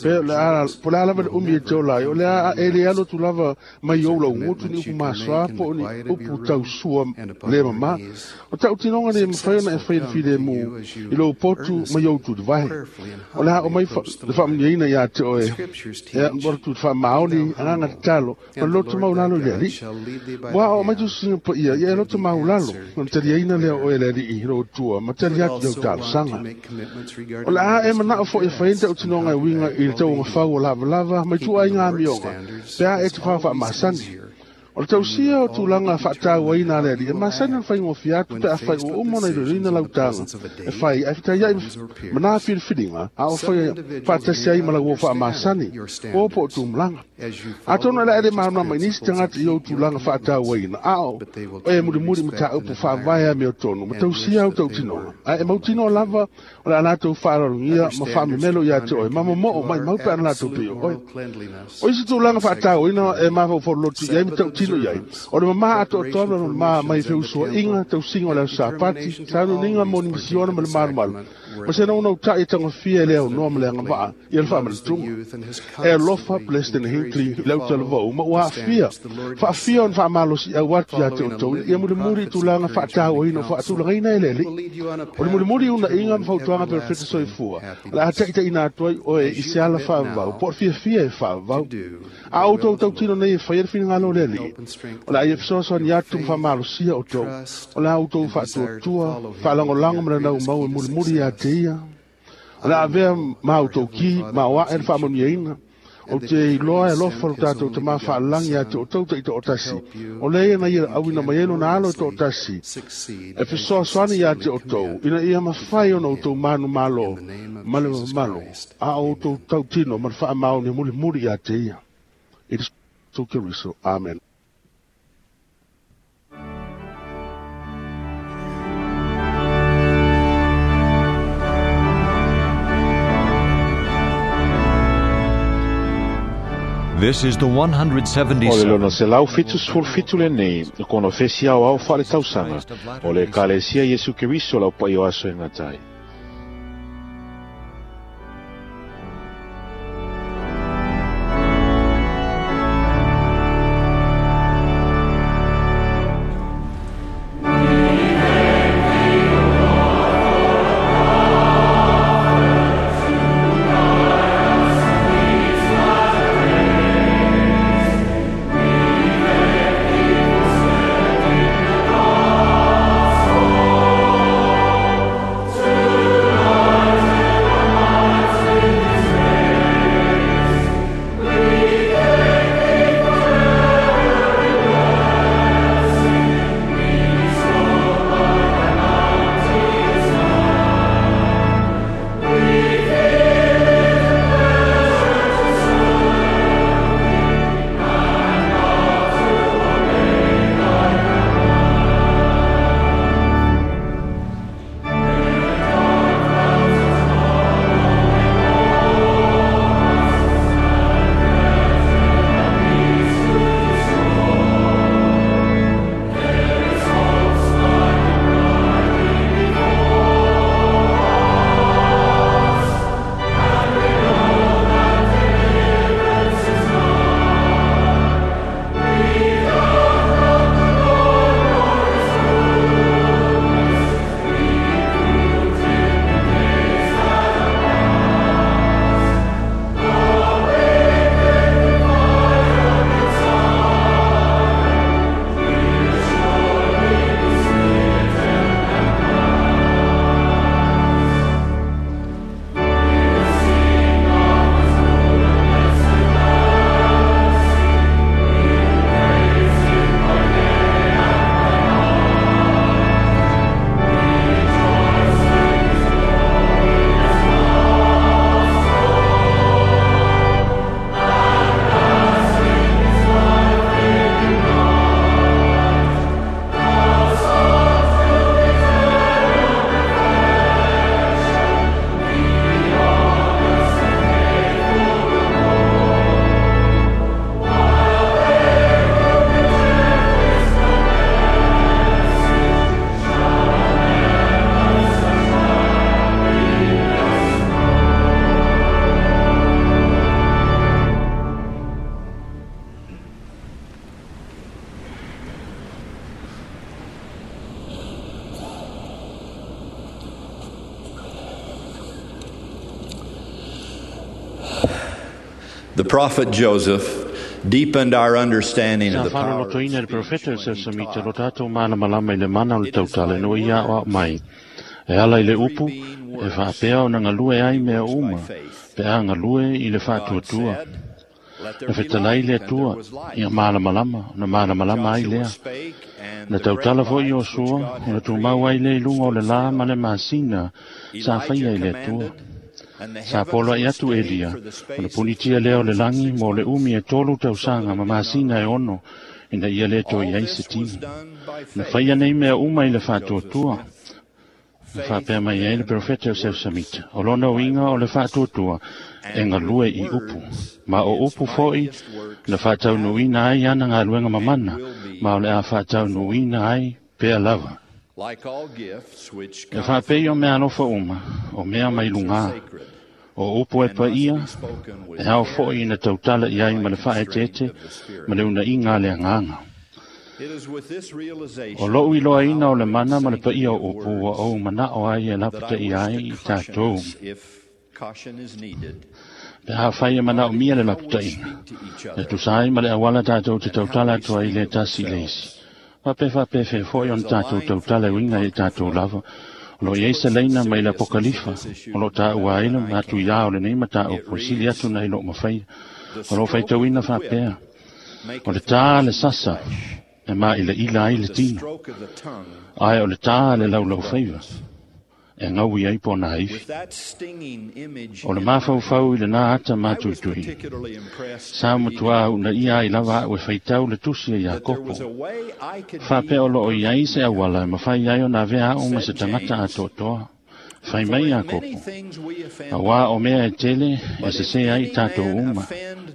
pe o le a po le a lava le umi e te ola ai, o le a e le alo atu lava mai ou lau gutu ni upu masoa po o ni upu tausua le mamā. O taʻutinoga nei e mafai ona e fai le filemu i lou potu ma i ou tulivae. O le a o mai le faamanuiaina iā te oe, ea o le faamaoni agaga tatalo ma le loto maulalo i le Alii. Ua aoao mai tusiga paia ia e loto maulalo, ona taliaina lea o oe e le Alii lou Atua ma tali atu i lau talosaga. O le a e manao foʻi e fai ai taʻutinoga e uiga i le tauagafau o lavalava ma ituaiga amioga pe a e tufā faamasani. O le tausia o tulaga faatauaina a le Alii e masani ona faigofie atu pe afai ua uma ona iloiloina lau taga e fai ae fetaiaʻi ma nā filifiliga a o faia faatasi ai ma lau uo faamasani uo po o tumalaga. Atonu e le a le malamalama i nisi tagata i ou tulaga faatauaina a o e mulimuli mataupu faavae amiotonu ma tausia au tautinoga ae e mautinoa lava o le a latou faaaloalogia ma faamemelo iā te oe ma momoo maʻimau pe ana latou pei o oe. O isi tulaga faatauaina e mafaufau lolotu i ai ma tautino i ai o le mamā atoatoa ma le mamā mai feusuaʻiga tausiga o le aso Sapati sauniuniga mo ni misiona ma le malumalu ma se naunautaʻi e tagofia e le aunoa ma le agavaa ia le faamalatuga. E alofa President Hinckley i lau talavou ma ua aafia faafia ona faamalosiʻau atu iā te outou ina ia mulimuli i tulaga faatauaina o faatulagaina e le Alii. O le mulimuli unaʻiga ma fautuaga perofeta soifua o le a taʻitaʻina atu ai oe i se ala faavavau po o le fiafia e faavavau. A outou tautino nei e faia le finagalo o le Alii, o le a ia fesoasoani atu ma faamalosia outou, o le a outou faatuatua faalagolago ma le naumau e mulimuli iā te ia. O le a avea ma outou ki ma oaʻe le faamanuiaina. Ou te iloa e alofa lo tatou Tamā faalelagi iā te outou taʻitoʻotasi, o lea ia na ia auina mai ai lona alo e toʻatasi e fesoasoani iā te outou, ina ia mafai ona outou manumalo ma le mamalu, a o outou tautino ma le faamaoni mulimuli iā te ia. I le Iesu Keriso. Amen. This is the one hundred O le seventy-seventh lona selau fitu sefulu fitu lenei, konofesi aoao faaletausaga o le Ekalesia Iesu Keriso lau paia o aso e gata ai. Thank you. The prophet Joseph deepened our understanding Sa of the power of faalolotoina e le profeta o Seusamita lo tatou malamalama i le mana o le tautala ina ua ia aoao mai. E ala i le upu, e faapea ona galue ai mea uma, pe a galue i le faatuatua. Na fetalai le Atua, ia malamalama, ona malamalama ai lea. Na tautala foi Iosua, ona tumau ai lea i luga o le la ma le masina sa faia i le Atua. Sa poloai atu Elia, ona punitia lea o le lagi mo le umi e tolu tausaga ma masina e ono, ina ia le toe i ai se tino. Na faia nei mea uma i le faatuatua. Na faapea mai ai le profeta o Seusamita, o lona uiga o le faatuatua e galue i upu. Ma o upu foi na faataunuuina ai ana galuega mamana, ma o le a faataunuuina ai pea lava. Like all gifts which E come faapei o mea alofa uma, o mea mai lugā, o upu e paia, e ao foi ina tautala i ai ma le faaeteete, ma le unaiga a le agaga. It is with this realization O lou iloaina o le mana ma le paia o upu ua ou manao ai e lapataia ai i tatou. if caution is needed Pe afai e manaomia le lapataiga, e tusa ai ma le auala tatou te tautala atu ai i le tasi i le isi. Faapea faapefea foi ona tatou tautala e uiga i tatou lava. O loo i ai se laina mai le Apokalifa, o loo taua ai le matuiā o lenei mataupu e sili atu nai loo mafaia. O loo faitauina faapea, o le tā le sasa e maʻilaʻila ai le tino, stroke of the tongue ae o le tā le laulaufaiva e gaui ai pona aifi. with that stinging image O le mafaufau i lenā ata matuitui. particularly impressed Sa matuā unaia ai lava a'u e faitau le tusi e Iakopo. was a way I could Faapea o loo i ai se auala e mafai ai ona avea a'u ma se tagata atoatoa. Fai mai Iakopo. Auā o mea e tele e sesē ai i tatou uma.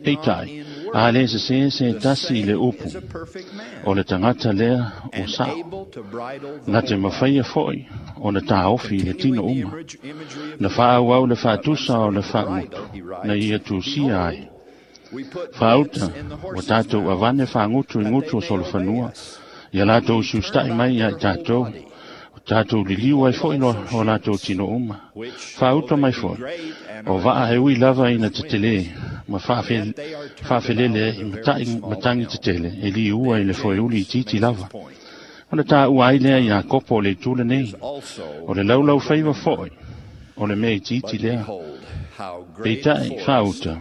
Peitai, a lē sesē se tasi i le upu. O le tagata lea o sa'o. Na te mafaia foi ona taofi i le tino uma. Na faaauau le faatusa o le faamutu, na ia tusia ai. Faauta, ua tatou avane faagutu i gutu o solofanua, ia latou siustaʻi mai ia i tatou, o tatou liliu ai foi lo o latou tino uma. Faauta mai foi, o vaa e ui lava ina tetelē, ma faafe- faafelele ai mataʻi matagi tetele, e liua i le foeuli itiiti lava. Ona taua ai lea Iakopo o le itu lenei, o le laulaufaiva foi, o le mea itiiti lea. how great Peitai faauta,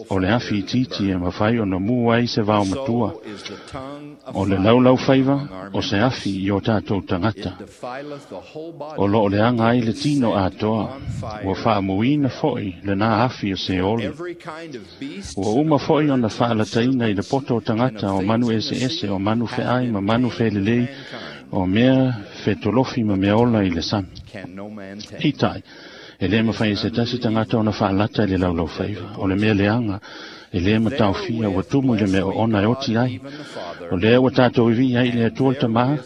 o le afi itiiti e mafai ona mu ai se vao matua. is the tongue O le laulaufaiva, o se afi i o tatou tagata. defileth the whole body O loo leaga ai le tino atoa, ua faamuina foi lenā afi o Seoli. every kind of beast Ua uma foi ona faalataina i le poto o tagata o manu eseese, o manu feai ma manu felelei, o mea fetolofi ma mea ola i le sami. can no man tame Peitai, e lē mafai e se tasi tagata ona faalata i le laulaufaiva. O le mea leaga, e lē mataofia ua tumu i le mea oona e oti ai. O lea ua tatou ivi'i ai i le Atua le Tamā,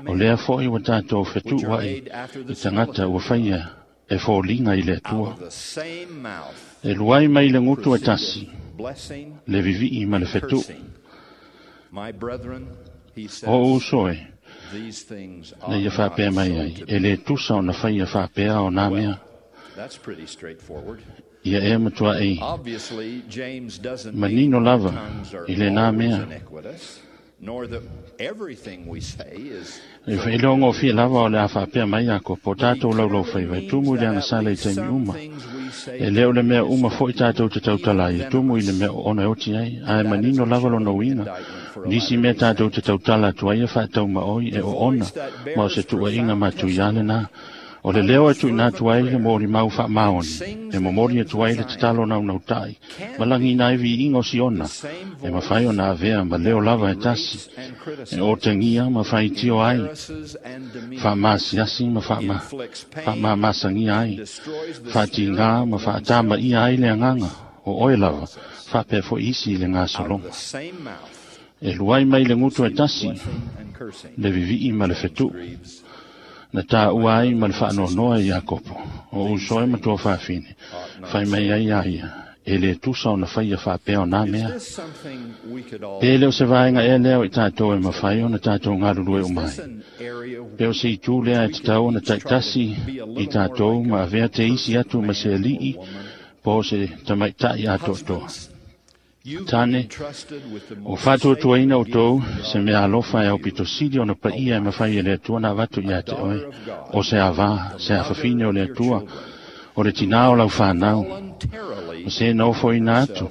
o lea foi ua tatou fetuʻu ai i tagata ua faia e foliga i le Atua. the same mouth E luai mai le gutu e tasi, blessing le viviʻi ma le fetuʻu. my brethren he says O uso e, these things na ought ia not faapea mai so ai, to e lē tusa ona faia faapea o nā mea. That's pretty straightforward. Ia e matuaʻi Obviously, James doesn't mean manino that lava tongues are i lenā always mea. iniquitous, nor that everything we say is E faailoagofie lava o le a faapea mai Iakopo, o tatou laulaufaiva e tumu i le agasala i taimi uma. E lē o le mea uma foi tatou te tautala ai, e tumu i le mea oona e oti ai, ae manino lava lona uiga. Nisi mea tatou te tautala atu ai e faataumaʻoi e oona, ma o se tuuaiga matuiā lenā. O le leo e tuuina atu ai le molimau faamaoni, e momoli atu ai le tatalo naunautai, ma lagiina ai viiga o Siona, e mafai ona avea ma leo lava e tasi, e otegia ma faitio ai, faamasiasi ma faama- faamamasagia ai, faatigā ma faatamaia ai le agaga, o oe lava, faapea foi isi i le gasologa. same mouth E luai mai le gutu e tasi, and cursing. le viviʻi ma le fetuʻu. Na taua ai ma le faanoanoa i Iakopo, o uso e matua faafine, fai mai ai ia ia, e lē tusa ona faia faapea o nā mea. Is this something we could all Pe le o se vaega ea lea o i tatou e mafai ona tatou galulue uma ai. an area Pe o se itu lea e tatau ona taitasi i tatou ma avea te isi atu ma se aliʻi po o se tamaitaʻi atoatoa. Tane, o whātuatuaina o tōu, se mea alofa e au pito sili ona paia e mawhai e le atua na avatu ia te oe, o se avā, se awhawhine o le atua, o le tina o lau whānau, o se nofo ina atu,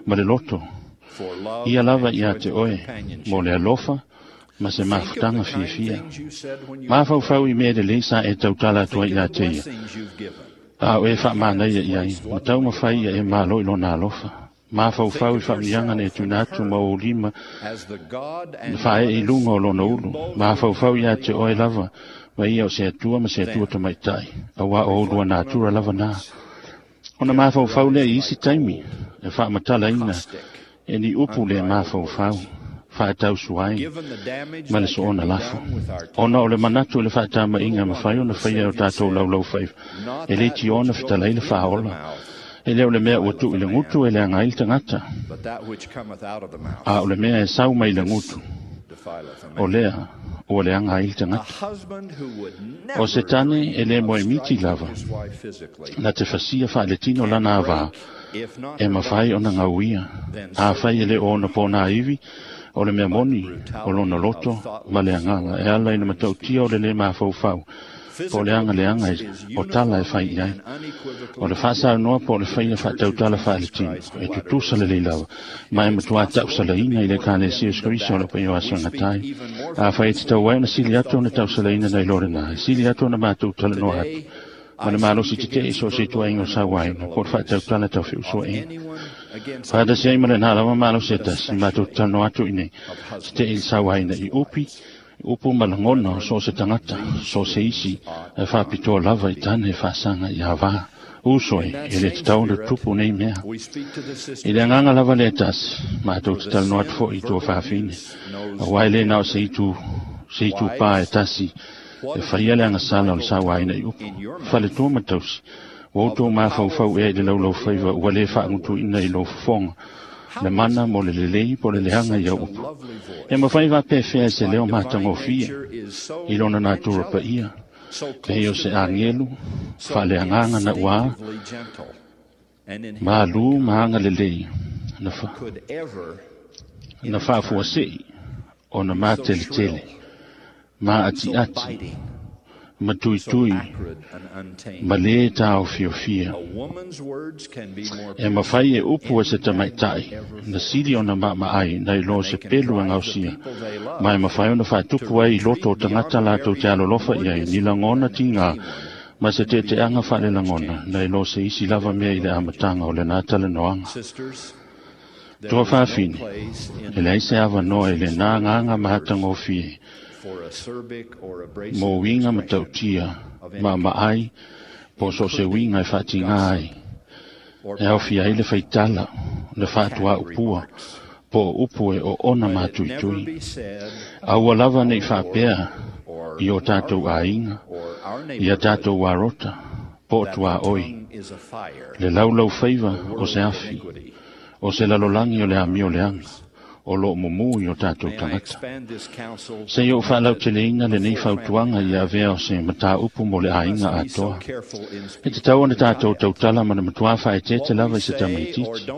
ma le loto, ia lava ia te oe, mo le alofa, ma se mafutanga fiafia. Mafaufau i mea lelei sa e tautala atua ia te ia. A o e whaamanaia ia i, ma tau mawhai ia e malo i lona alofa. Mafaufau i whaamianga na e tuna atu ma o lima, na whae i lunga o lona ulu. Mafaufau ia te oe lava, ma ia o se atua ma se atua tamaitai, a wā o ulua nātura lava nā. Ona mafaufau lea i isi taimi, e whaamatala ina, e ni upu le mafaufau, whaatau suai, ma le soona lafo. Ona o le manatu le whaatama inga mawhai o na whaia o tātou laulau whaiva, e le ti ona whitalai le whaola. E leo le mea ua tu i le ngutu e le anga i le tangata. A o le mea e sau mai le ngutu, o lea ua le anga i le tangata. O se tane e le moe miti lava, na te fasia whaaletino lana avā, e mawhai o na ngauia. A whai e le o na pōna iwi, o le mea moni, o lona loto, ma le anganga. E ala ina matautia o le le mafaufau, po le anga le anga o tala e whai iai. O le whaasau noa po le whaia whaatautala whaeletino, e tutusa le leilawa, ma e matua tausalaina i le kālesia uskariso o le paio asanga tai. A whai e te tau ai na sili atu na tausalaina nei lore nā, e sili atu na mātou tala noa atu. Ma le malosi te te iso se tua ingo sa wai, na po le whaatautala tau whiusua inga. Whaatasi ai ma le nā lawa malosi e tasi, mātou tala noa atu i nei, te te i sa wai na i upi, upu malangona o so se tangata, so se isi, e whapitoa lava i tane e whaasanga i awā. Uso e, e le te tau le tupu nei mea. I le anganga lava le tasi, mātou te talanoa atu fo i tua whaafine. A wai le nao se itu, se itu pā e tasi, e whaia le angasala o le sa waina i upu. Whale tua matausi, o tō mafaufau e i le laulau whaiva, ua le whaangutu ina i lo fofonga. Le mana mo le lelei po le lehanga ia upu. E mawhai wā pēwhea se leo mātangofia, i lona nātura pa ia, pei o se angelu, wha le anganga na ua, maalu maanga lelei, na wha, na whaafua sei, o na mātele tele, mā ati ati, ma tui tui, ma le tāo fiofia. E mawhai e upu e se tamaitai, na sili ona maa ai, na i lo se pelu e ngausia. Ma e mawhai ona whaatupu ai i loto o tangata lātou te alolofa i ai, ni langona ti ngā, ma se te te anga whaale langona, na i lo se isi lava mea i le amatanga o le nātale noanga. Toa whaafine, e le aise awa noa e le nā ngāngā mahatangofie, mō winga matautia, ma maai, po so se winga e whaatinga ai. E au ai le whaitala, le whaatua upua, po upu e o ona mātuitui. Aua lava nei whaapea i o tātou āinga, i a tātou warota, po tua oi. Le laulau whaiva o se awhi, o se lalolangi o le amio le anga, o lo mumu i o tātou tangata. Se i o whaalau te leina le nei whautuanga i a vea o se mataa upu mo le āinga atoa. E te tau ana tātou tautala mana matua whae te te lava i se tamaititi.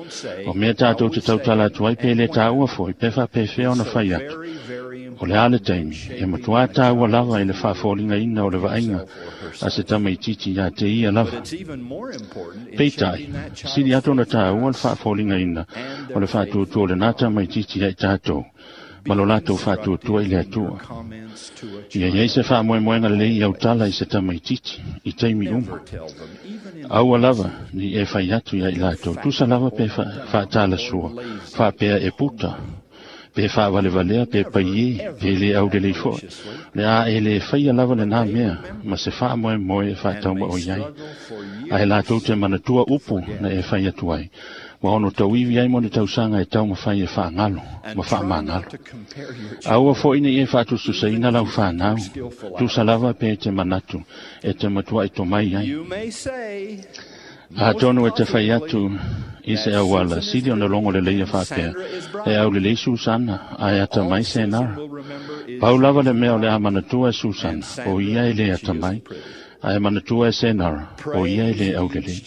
O mea tātou te tautala atu ai pe le tāua foi, pe wha pe whea ona whai atu. O le ale taimi, e matua tāua lava i le whaafolinga ina o le vainga a se tamaititi ia te ia lava. Peitai, sili atu ona tāua le whaafolinga ina o le whaatuatua le nā tamaititi ia i tātou, ma lo lātou whaatuatua i le atua. Ia iei se whaamoemoenga le i autala i se tamaititi, i teimi uma. Aua lava ni e whai atu ia i lātou, tusa lava pe whaatala sua, whaapea e puta, pe whaawalevalea, pe paie, pe le au le leifo. Le a e le whaia lava le nā mea, ma se whaamoemoe e whaatauma o iai. A e lātou te manatua upu na e whai atu ai. Wa ono tauiwi ai mo ne tausanga e tau mawhai e whaangalo, ma whaamangalo. Aua fo ina i e whaatususaina lau whanau, tusa lava pe te manatu, e te matua i tomai ai. A tonu e te whai atu i se awala, sili ona longo le leia whaapea, e au le lei Susana, a e ata mai se nara. Pau lava le mea o le a manatua e Susana, o ia e le ata mai, a e manatua e Senara, o ia e le aulele.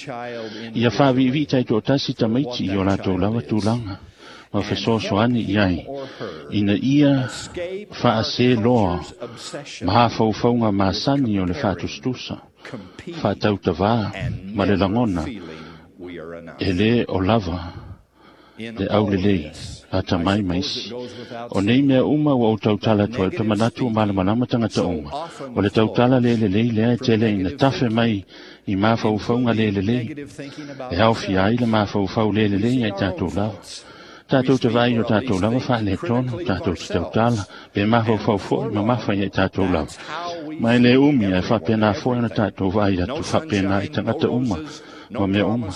Ia whaavivi tai tō tasi tamaiti i o lātou lava tūlanga. Ma fesoasoani i ai ina ia faase loa mafaufauga masani o le faatusatusa faatautavā ma le lagona e lē o lava le aulelei atamai ma isi. O nei mea uma ua ou tautala atu ai, ou te manatu ua malamalama tagata uma. O le tautala le lelei lea e tele ina tafe mai i mafaufauga le lelei. E aofia ai le mafaufau le lelei ai tatou lava. Tatou te vaai o tatou lava faaletonu, tatou te tautala, pe mafaufau fo'i mamafa ia i tatou lava. Ma e le umi ae faapena foi ona tatou vaai atu faapena i tagata uma ma mea uma.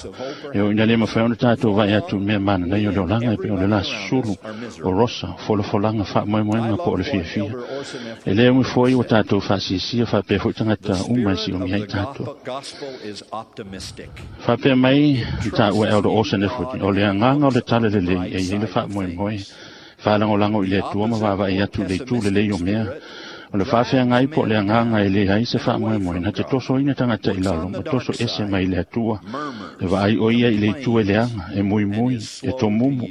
E o ina le mafai ona tatou vaai atu i mea mananai o le olaga e pei o le la susulu, o rosa, o folafolaga faamoemoega po o le fiafia. E le umi foi ua tatou faasiasia faapea foi tagata uma e siomia ai tatou. Faapea mai le taua e Elder Orson Efford, o le agaga o le tala lelei e iai le faamoemoe, faalagolago i le Atua ma vaavaai atu i le itu lelei o mea. O le faafeagai po o le agaga e lē ai se faamoemoe na te tosoina tagata i lalo ma toso ese mai le Atua. E vaai o ia i le itu e leaga, e muimui, e tomumu,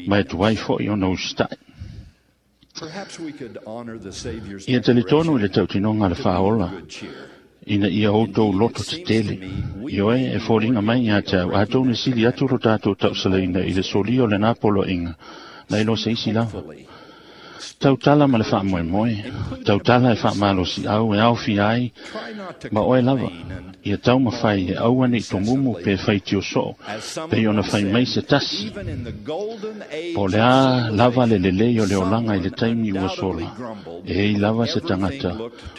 ma e tuai fo'i ona usita'i. Ia talitonu i le tautinoga a le Faaola ina ia outou loto tetele. Ioe e foliga mai iā te au, atonu e sili atu lo tatou tausalaina i le solia o lenā poloaiga nai lo se isi lava. Tautala ma le faamoemoe, tautala e faamalosiau e aofia ai ma oe lava. Ia taumafai e aua nei tomumu pe faitio soo, pei ona fai mai se tasi. Po o le a lava le lelei o le olaga i le taimi ua sola, e ei lava se tagata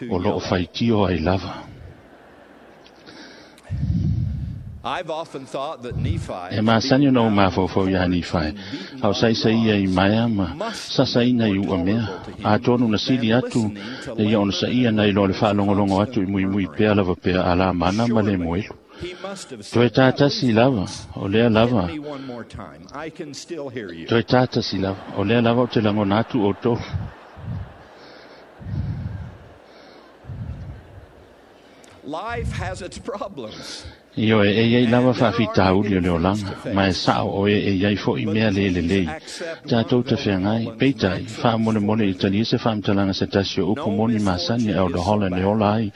o loo faitio ai lava. E masani ona ou mafaufau iā Nifae, a o saisaia i maea ma sasaina i uamea. Atonu na sili atu le ia ona saia nai loa le faalogologo atu i muimui pea lava pea a lamana ma le moelu. Toe tātasi lava, o lea lava. Toe tātasi lava, o lea lava o te lagona atu outou. Life has its problems. Ioe, e iai lava faafitauli o le olaga, ma e sa'o o e e iai fo'i mea le lelei. Tatou te feagai, peitai, faamolemole i talia se faamatalaga se tasi o upu moni masani e Elder Holland e ola ai,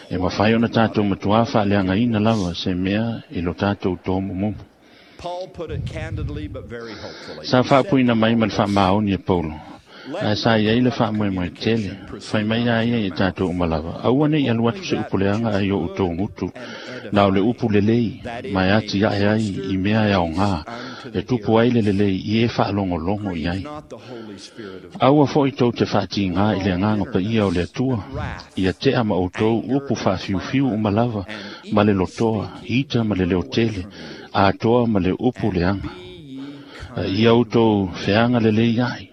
e mafai ona tatou matuā faaleagaina lava se mea i lo tatou tomumumu. Paul put it candidly but very hopefully. Sa faapuina mai ma le faamaoni e Paulo, ae sa iai le faamoemoe tele, fai mai a ia i tatou uma lava. Aua nei alu atu se upu leaga ai o outou gutu, na o le upu lelei, ma e ati ae ai i mea e aogā, e tupu ai le lelei i e faalogologo i ai. Aua fo'i tou te faatigā i le agaga paia o le Atua, ia tea ma outou upu faafiufiu uma lava, ma le lotoa, ita ma le leotele, atoa ma le upu leaga. Ia outou feaga lelei ai.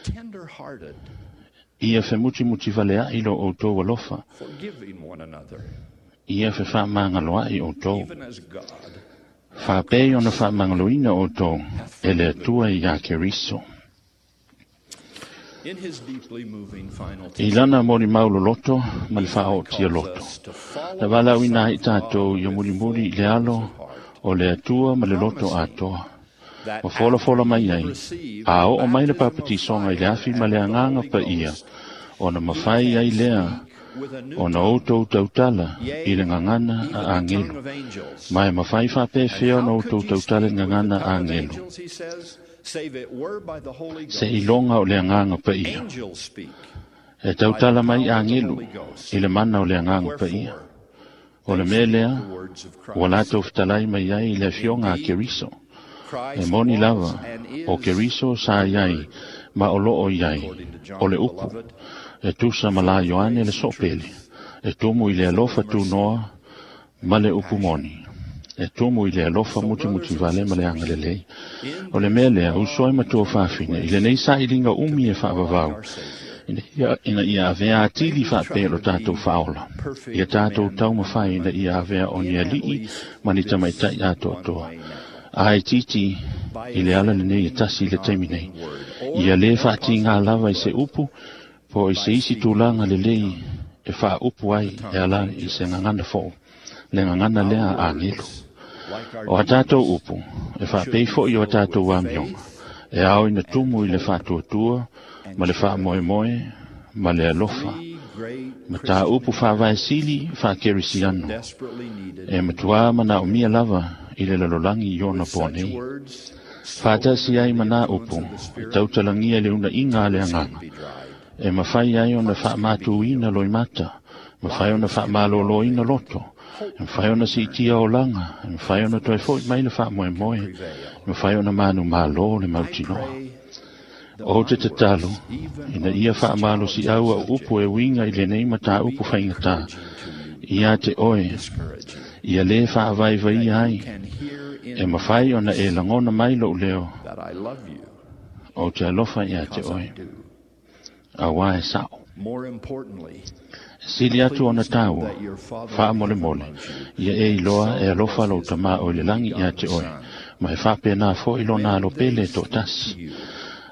Tender-hearted, Ia femutimuti valea'i lo outou alofa. forgiving one another, Ia fefaamagaloa'i outou. even as God Faapei ona faamagaloina outou e le Atua iā Keriso. In his deeply moving final I teaching, lana molimau loloto ma le faaootia calls loto. us to follow Na valaauina ai the Son of tatou God ia with mulimuli full i le alo of heart, o le Atua ma le loto atoa. that Ma folafola after mai he ai, received a the oo mai le baptism of papatisoga i le fire afi ma and le the agaga Holy paia, Ghost, ona he mafai can ai lea speak with a new ona tongue, outou tautala i yea, le gagana even a the tongue agelu. of angels. Ma e mafai And faapefea ona how could outou ye tautala i speak with the gagana tongue of agelu? angels, he says, save it were by the Holy Se Ghost? iloga o le agaga paia. Angels speak E by the tautala mai power of the agelu Holy Ghost. i le mana o le agaga paia. Wherefore, O le they mea speak lea, the words of ua Christ. latou fetalai mai ai i le afioga a Indeed, Keriso. E Christ moni was lava, and o is Keriso sa the iai, Word, ma o loo i ai, according to o John le the upu, Beloved, e tusa ma la Ioane le soopele, e tumu i le full alofa of mercy tunoa ma le upu moni. E tumu i le alofa So, muti brothers muti and vale ma le sisters, agalelei. in O le this mea lea, long uso ai matua eternal faafine, i quest lenei sailiga to umi be e more like faavavau, our Savior, ina ia, ina ia avea may atili we faapea try lo to tatou be faaola. Ia perfect tatou men and taumafai ina women ia avea o ni in at ali'i least ma ni this tamaitai one atoatoa. way now, Ae titi by i le ala lenei e offending tasi i le not taimi in nei. word, or Ia lē the faatigā Apostle lava i se put, upu, po o i se by isi speaking tulaga with the lelei tongue, e faaupu the ai e tongue of ala i se angels. gagana fo'u, le gagana lea Our a agelu. words, like our O a tatou deeds, upu, e should faapei be fo'i o a filled tatou with amioga, faith E ao ina tumu i le faatuatua ma le faamoemoe ma le alofa. Ma tā upu faavaesili faakerisiano. E matuā manaomia lava i le lalolagi i ona po nei. Faatasi ai ma nā upu, e tautalagia i le unaʻiga a le agaga. E mafai ai ona faamatuina loimata, mafai ona faamalōlōina loto, e mafai ona siitia olaga, e mafai ona toe foʻi mai le faamoemoe, e mafai ona manumālō le mautinoa. O te tatalo, ina ia faamalosiʻau au upu e uiga i lenei matāupu faigatā, ia te oe, ia lē faavaivaia ai, e mafai ona e lagona mai loʻu leo, o te alofa iā te oe. Auā e saʻo. Sili atu ona tāua, faamolemole, ia e iloa e alofa lou tamā o i le lagi iā te oe, ma e faapenā foʻi lona alopele e toʻatasi.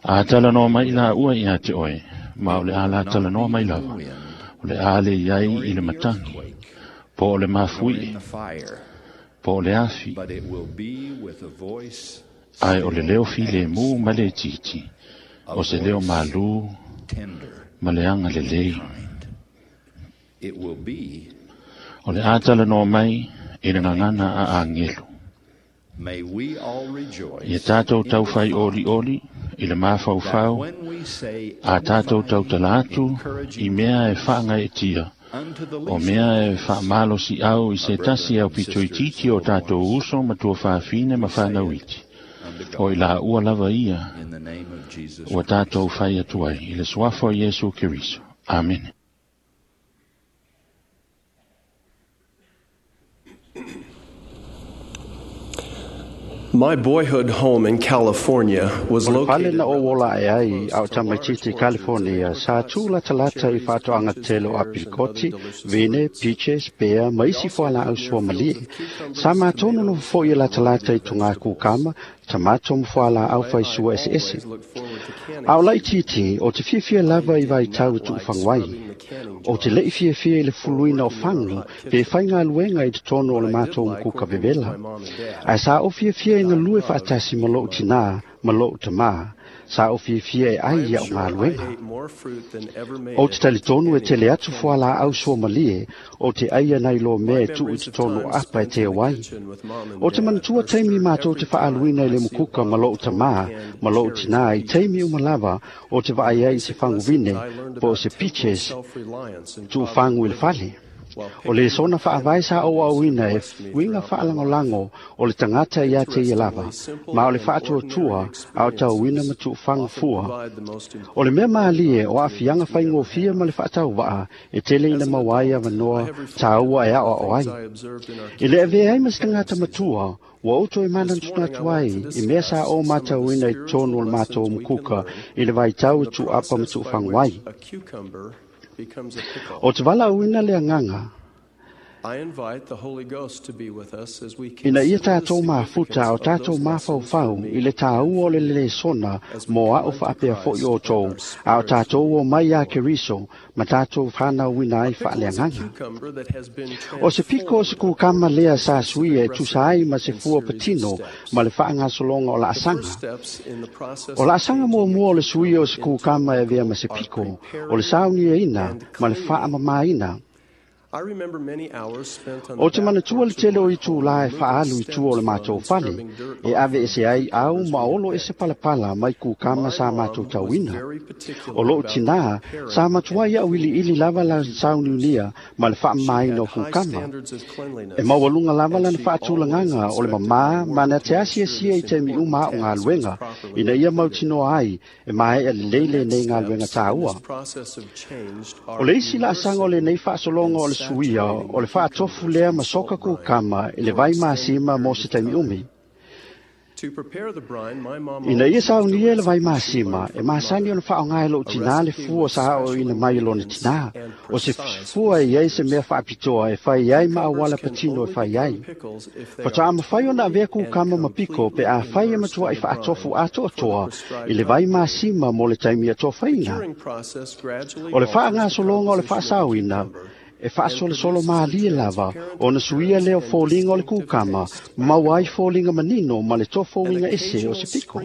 A talanoa mai la ua iā te oe, ma o le a la talanoa mai lava, o le a le iai i le matagi, po o le mafuiʻi, po o le afi, ae o le leo filemu ma le itiiti, o se leo malū ma le agalelei. O le a talanoa mai i le gagana a agelu. Ia tātou taufai olioli i le mafaufau, a tātou tautala atu i mea e faagaetia, o mea e faamalosiʻau i se tasi au pitoititi o tātou uso ma tuafafine ma fanauiti. O i laua lava ia, ua tātou fai atu ai i le suafa o Iesu Keriso. Amene. My boyhood home in California was O le pale located na o ola e ai au tamaititi California sa tū latalata i whātoanga tele o apirikoti, vene, peaches, pea, ma isi fuala au sua malie. Sa mātono no fo i latalata i tunga kukama, tamato mo fuala au whai sua ese ese. Ao lai titi, o te fiafia lava i vai tau tu whangwai. O te lei fiafia i le fuluina o whangu, pe whai ngā luenga i te tono o le mātou mkuka vevela. Ai sa o fiafia i ngā lue whaatasi ma lou tinā, ma lou tamā, sa o fiafia e ai ia o ngā luenga. O te talitonu e tele atu fuala au sua malie, o te aia nei lo mea e tuu i te tono apa e te awai. O te manatua teimi mātou te whaaluina i le mukuka ma lou tamā, ma lou tinā i teimi umalava o te vaai ai se whanguvine, po o se peaches, tuu whangu i le fale. O le sona whaavai sa o auina e winga whaalangolango o le tangata ia te ia lava, ma o le whaatuatua a o tau wina ma tuu whangu fua. O le mea maalie o awhianga whaingofia ma le whaatau waa e tele ina mawai a manoa tāua e ao o ai. I le awea ai ma se tangata matua, ua outou e manantunatu ai i mea sa o mātauina i tonu o le mātou mukuka i le vaitau i tuu apa ma tuu whangu ai. O te wala uina le anganga, ina ia tātou mafuta o tātou mafaufau i le tāua o le lesona mō ao whaapea foi o tō, a o tātou o mai a Keriso, ma tātou whanau ina ai whaaleanganga. O se piko o se kukama lea sa suia e tusa ai ma se fua patino ma le whaangasolonga o la asanga. O la asanga mua mua o le suia o se kukama e vea ma se piko, o le saunia ina ma le whaamamaina. O te manatua le tele o itu la e whaalu i tua o le mātou fale, e ave e se ai au ma olo e se palapala mai kukama sa mātou tauina. O loo tinā, sa matua ia au ili ili lava la sauniunia ma le whaamaina o kukama. E maualunga lava lana whaatulanganga o le mamā ma na te asia sia i te mi uma o ngā luenga, ina ia mautinoa ai e mae e lele nei ngā luenga tāua. O le isi la asanga o le nei whaasolonga o le suia o le whaatofu lea ma soka kukama i le vai masima mo se taimi umi. Ina ia saunia le vai masima, e masani ona whaongai lo tinā le fua sa o ina mai lona tinā, o se fua i ai se mea whaapitoa e whai ai ma awala patino e whai ai. Whata ama whai ona avea kukama ma piko pe a whai e matua i whaatofu atoatoa i le vai masima mo le taimi atoa whaina. O le whaangasolonga o le whaasauina, e faasolosolo malie lava ona suia lea o foliga o le kukama ma maua ai foliga manino ma le tofouiga ese o se piko.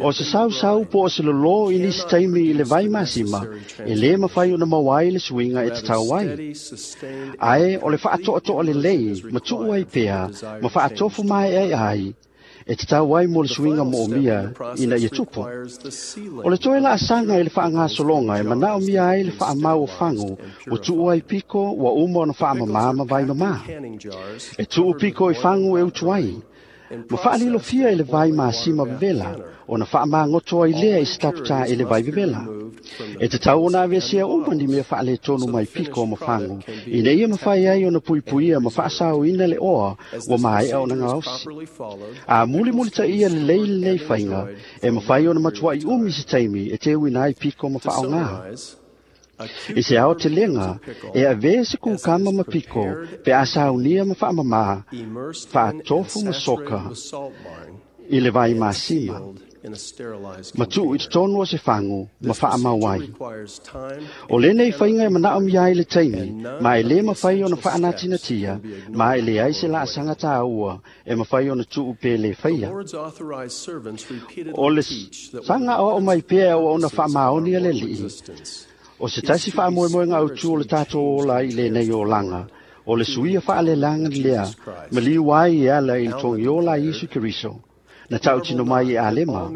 O se sausau po o se lolō i nisi taimi i le vai masima e lē mafai ona maua ai le suiga e tatau ai. Ae o le faatoatoa lelei ma tuu ai pea ma faatofu maeaea ai e tatau ai mo le suiga moomia ina ia tupu. O le toe laasaga i le faagasologa e manaomia ai le faamau o fagu ua tuu ai piko ua uma ona faamamā ma vai mamā. E tuu piko i fagu e utu ai, ma faalilofia i le vai masima vevela, ona faamagoto ai lea i se taputā i le vai vevela. E tatau ona aveesea uma ni mea faaletonu mai piko ma fagu, ina ia mafai ai ona puipuia ma faasaoina le oa ua maea ona gaosi. A mulimulitaia lelei lenei faiga, e mafai ona matuai umi se taimi e teuina ai piko ma faaogā. I se ao telega, e avea se kukama ma piko, pe a saunia ma faamamā, faatofu ma soka, i le vai masima, ma tuu i totonu o se fagu ma faamau ai. O lenei faiga e manaomia ai le taimi, ma e lē mafai ona faanatinatia, ma e leai se laasaga tāua e mafai ona tuu pe lē faia. O le saga aoao mai pea e auauna faamaoni a le Alii, o se tasi faamoemoega autū o le tatou ola i lenei olaga, o le suia faalelaga lea, ma liu ai e ala i le togiola a Iesu Keriso, na tautino mai e Alema,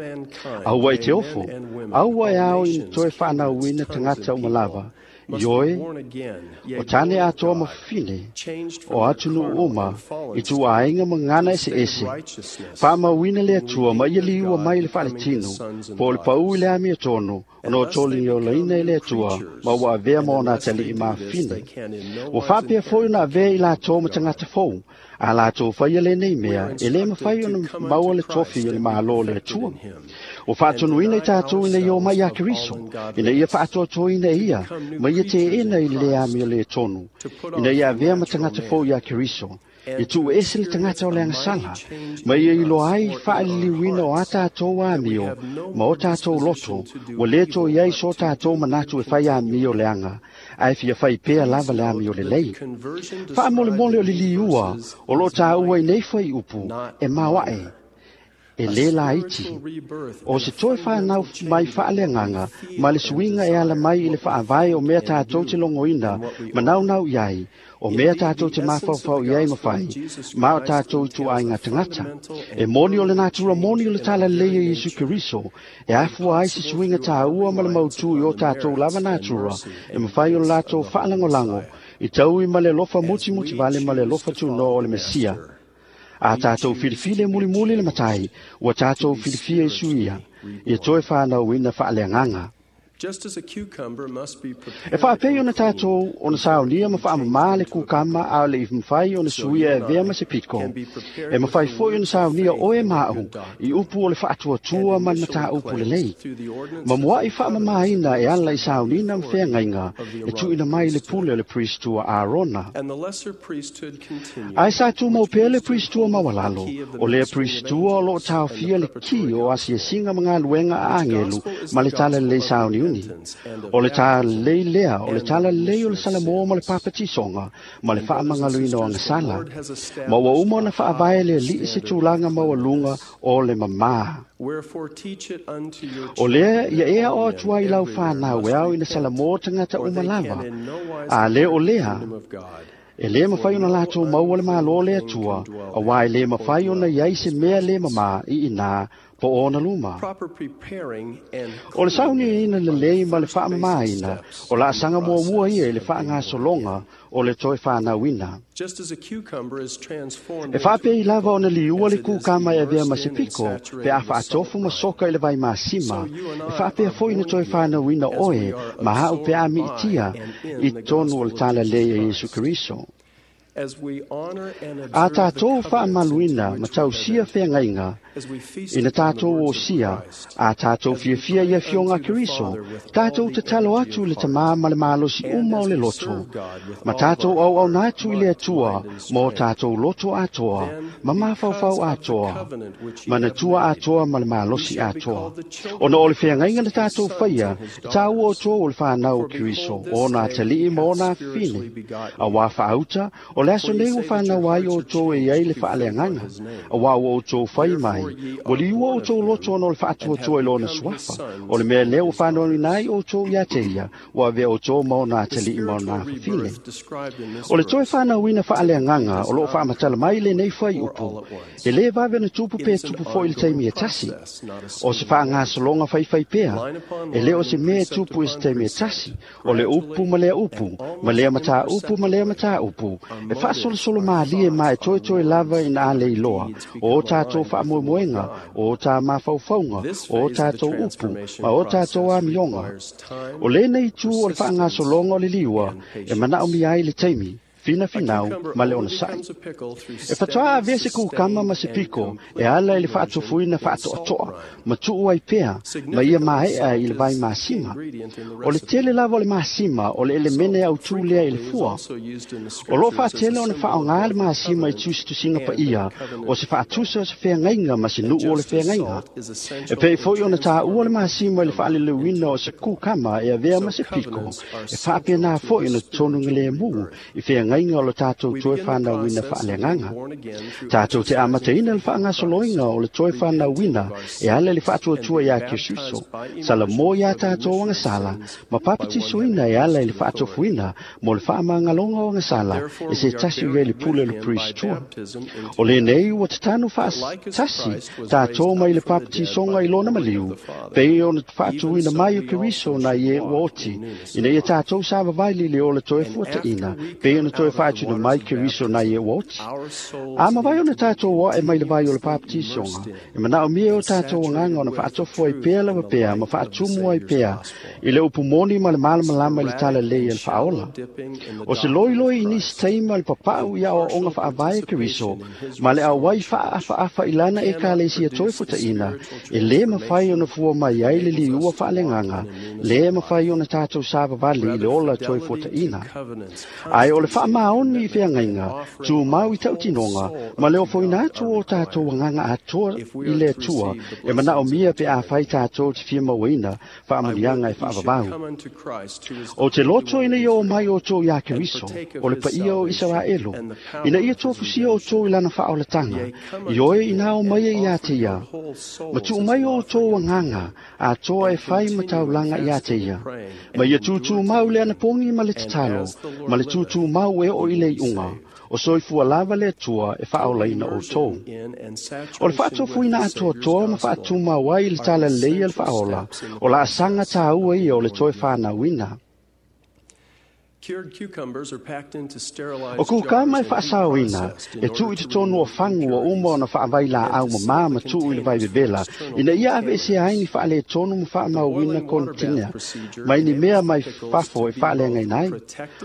aua e te ofo, aua e ao i toe whaanauina tagata uma lava, i oe, o tane atoa ma fafine, o atunuu uma, i tuaaiga ma gana eseese, faamauina le Atua ma ia liua mai le faaletino, po o le paū i le amiotonu, ona o toligiolaina i le Atua, ma ua avea ma ona atalii mafafine. Ua faapea foi ona avea i latou ma tagata fou, a latou faia lenei mea, e lē mafai ona maua le tofi o le Mālō o le Atua. Ua faatonuina i tatou ina ia omai ia Keriso, ina ia faatoatoina e ia, ma ia teena i le lē amio lē tonu, ina ia avea ma tagata fou iā Keriso, e tuu ese le tagata o le agasala, ma ia iloa ai faaliliuina o a tatou amio ma o tatou loto, ua lē toe i ai so tatou manatu e fai amio leaga, ae fia fai pea lava le amio lelei. Faamolemole o le liua o loo tāua i nei fuaiupu e maoae, e lē laiti. O se toe whanau mai faaleagaga ma le suiga e ala mai i le faavae o mea tatou te logoina ma naunau i ai, o mea tatou te mafaufau i ai ma fai, ma o tatou ituaiga tagata. E moni o le natura moni o le talalelei o Iesu Keriso, e afua ai se suiga tāua ma le mautū i o tatou lava natura, e mafai o le latou faalagolago, i taui ma le alofa mutimuti vale ma le alofa tunoa o le Mesia. A tatou filifili e mulimuli le matai, ua tatou filifia i suia, ia toe whanauina faaleagaga. E faapei ona tatou ona saunia ma faamamā le kukama a o le i mafai ona suia e avea ma se piko. E mafai foi ona saunia oe ma au i upu o le faatuatua ma le mataupu lelei. Ma mua'i faamamāina e ala i saunina ma feagaiga e tuuina mai le pule o le priestua Arona. Ae sa tumau pea le priestua maualalo, o lea priestua o loo taofia le ki o asiasiga ma galuega a agelu ma le talalelei sauniuni. O le talalelei lea, o le talalelei o le Salamoa ma le papatisoga, ma le faamagaloina o agasala. Ma ua uma ona faavae le Alii se tulaga maualuga o le mamā. O lea ia ea o atu ai lau whanau e ao ina Salamoa tagata uma lava. A le o lea, e lē mafai ona latou maua le Mālō le Atua, auā e lē mafai ona iai se mea lē mamā i inā po o ona luma. O le sauniaina lelei ma le faamamāina, o laasaga muamua ia i le faagasologa o le toe whanauina. E faapei lava ona liua le kukama e avea ma se piko, pe a faatofu ma soka i le vai masima, e faapea foi na toe whanauina oe, ma hau pe a miitia i tonu o le talalelei a Iesu Keriso. A tātou whaamaluina ma tausia wheangaiga, ina tātou o sia, a tātou fiafia ia fionga Keriso, tātou te talo atu le tamā ma le malosi uma o le loto, ma tātou au au nātu i le atua, mō tātou loto atoa, ma mawhauwhau atoa, ma natua atoa ma le malosi atoa. Ona o le wheangaiga na tātou whaia, tāu o tō o le whānau o Keriso, o nā talii ma o nā whine. A wā whaauta, o le aso nei o whānau ai o tō e ai le whaaleanganga, a wā o tō whai mai, o li ua o tō loto ono le whaatuatua i lona suafa, o le mea leo whānau nai o tō ia te ia, o avea o tō mao nā te lii mao nā whawhine. O le toe whānau ina whaaleanganga, o loo whaamatala mai le nei whai upu, e le vave na tupu pe tupu fo i le taimi e tasi, o se whaangasolonga whai whai pea, e leo se mea tupu i se taimi e tasi, o le upu ma lea upu, ma lea mataa upu ma lea mataa upu, e whaasolosolo maalie ma e toe toe lava ina a leiloa, o tātou whaamoemoenga, o tā mawhauwhaunga, o tātou upu, ma o tātou amionga. O lēnei tū o le whaangasolonga o le liua, e manao mi ai le taimi, fina finau ma le ona sai. E whatoa a vese kukama ma se piko, e ala i le whaatofuina whaatoatoa, ma tuu ai pea, ma ia maea i le vai masima. O le tele lava o le masima, o le elemene au tūlea i le fua. O lo whaatele o na whaonga le masima i tusitusinga pa ia, o se whaatusa o se wheangainga ma se nuu o le wheangainga. E pei foi o na tā ua le masima i le whaaleleuina o se kukama e avea ma se piko, e whaapea nā foi o na tonunga le mū, i wheangainga o le tātou toe whānauina whaaleanganga. Tātou te amateina le whaangasoloinga o le toe whānauina e ala le whaatuatua ia Kisuso, sala mō ia tātou angasala, ma papatisoina e ala le whaatofuina mō le whaamangalonga o angasala e se tasi ua le pule le priestua. O le nei ua te tanu whaatasi tātou mai le papatisonga i lona maliu, pei o na whaatuina mai o Keriso na ie ua oti, ina ia tātou sa vavaili le o le toe fuataina, pei o na toe whaatuna mai Keriso na ie ua oti. A mawai o na tātou wa e mai le vai o le papatisonga, e manao mie o tātou anganga o na whaatofo ai pea lawa pea, ma whaatumu ai pea, i le upumoni ma le malamalama i le tala lei e le whaola. O se loi loi i nisi teima le papau ia o onga whaavae Keriso, ma le awai whaawhaafa i lana e ka le sia toi futaina, e le mawhai o na fua mai ai le liua whaalenganga, le mawhai o na tātou sāvavali i le ola toi futaina. Ai o le whaamaoni i wheangainga, tū mau i tautinonga, ma leo foina atu o tātou anganga atoa i le atua, e manao mia pe a whai tātou te whia mauina, whaamunianga e whaavavau. O te loto ina ia o mai o tō ia Keriso, o le paia o Israelo, ina ia tōfusia o tō i lana whaolatanga, i oe ina o mai e ia te ia. Ma tū mai o tō anganga, a tō e whai mataulanga ia te ia. Ma ia tūtū mau le anapongi ma le tatalo, ma le tūtū mau e o i le iunga, o soifua lava le atua e whaolaina o tō. O le whaatofuina atoa toa ma whaatuma wai le tala lei le whaola, o la asanga tāua ia o le toe whānauina. O kukama e whaasawina, e tuu i te tonu o whangu o uma o na whaawai la au mamā ma tuu i le vai bebela, ina ia ave e se aini whaale tonu ma whaamauina kontinea, mai ni mea mai whafo e whaale ngai.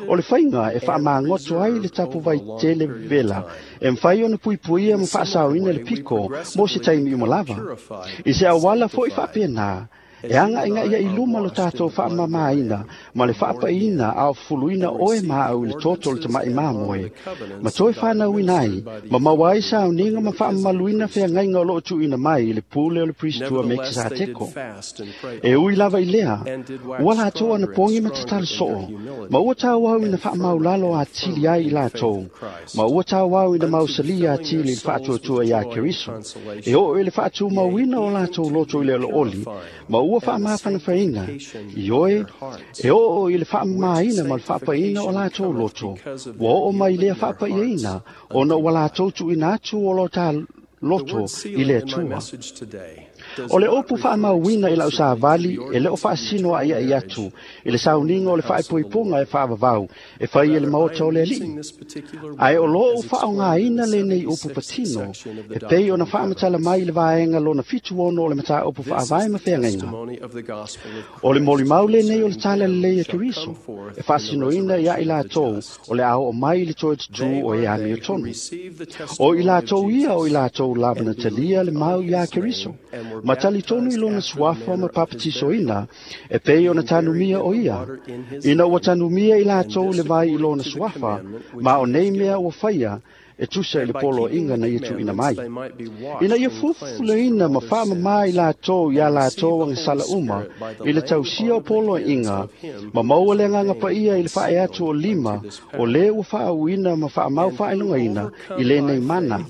O le whainga e whaamaangoto ai le tapu vai tele bebela, e mwhai o na puipuia ma whaasawina le piko mo se taimi umalava. I se awala fo i whaapena, e anga inga ia i luma lo tātou whaamamaina, ma le whaapaina au fuluina oe maau i le toto le tamai māmoe. Ma toi whānau ai, ma mawai sa au ninga ma whaamamaluina wheangainga o loo tuina mai i le pule o le priestua me kisateko. E ui lava i lea, ua lātou ana pongi ma tatala soo, ma ua tāu au ina whaamaulalo a tili ai i lātou, ma ua tāu au ina mausalia a tili i le whaatuatua ia Keriso. E oo e le whaatumauina o lātou loto i le oli, ma ua whaamawhanawhainga, i oe, e oo i le whaamamaina ma le whaapaina o lātou loto, ua oo mai lea whaapaiaina, o na ua lātou tuina atu o lo tā loto i le atua. O le upu faamauina i lau savali e le o faasino a'ia'i atu i le sauniga o le faaipoipoga e faavavau e fai e le maota o le Ali'i. Ae o loo faaaogāina lenei upu patino e pei ona faamatala mai i le vaega lona fitu ono o le mataupu faavae ma feagaiga. O le molimau lenei o le tala lelei a Keriso e faasinoina ia i latou o le a oo mai i le toe tutū o e amiotonu. O i latou ia o i latou lava na talia le mau iā Keriso ma talitonu i lona suafa ma papatisoina e pei ona tanumia o ia. Ina ua tanumia i latou le vai i lona suafa, ma o nei mea ua faia e tusa i le poloaiga na ia tuuina mai. Ina ia fufuleina ma faamamā i latou iā latou agasala uma i le tausia o poloaiga, ma maua le agaga paia i le faae atu o lima o lē ua faaauina ma faamau faailogaina i lenei mana.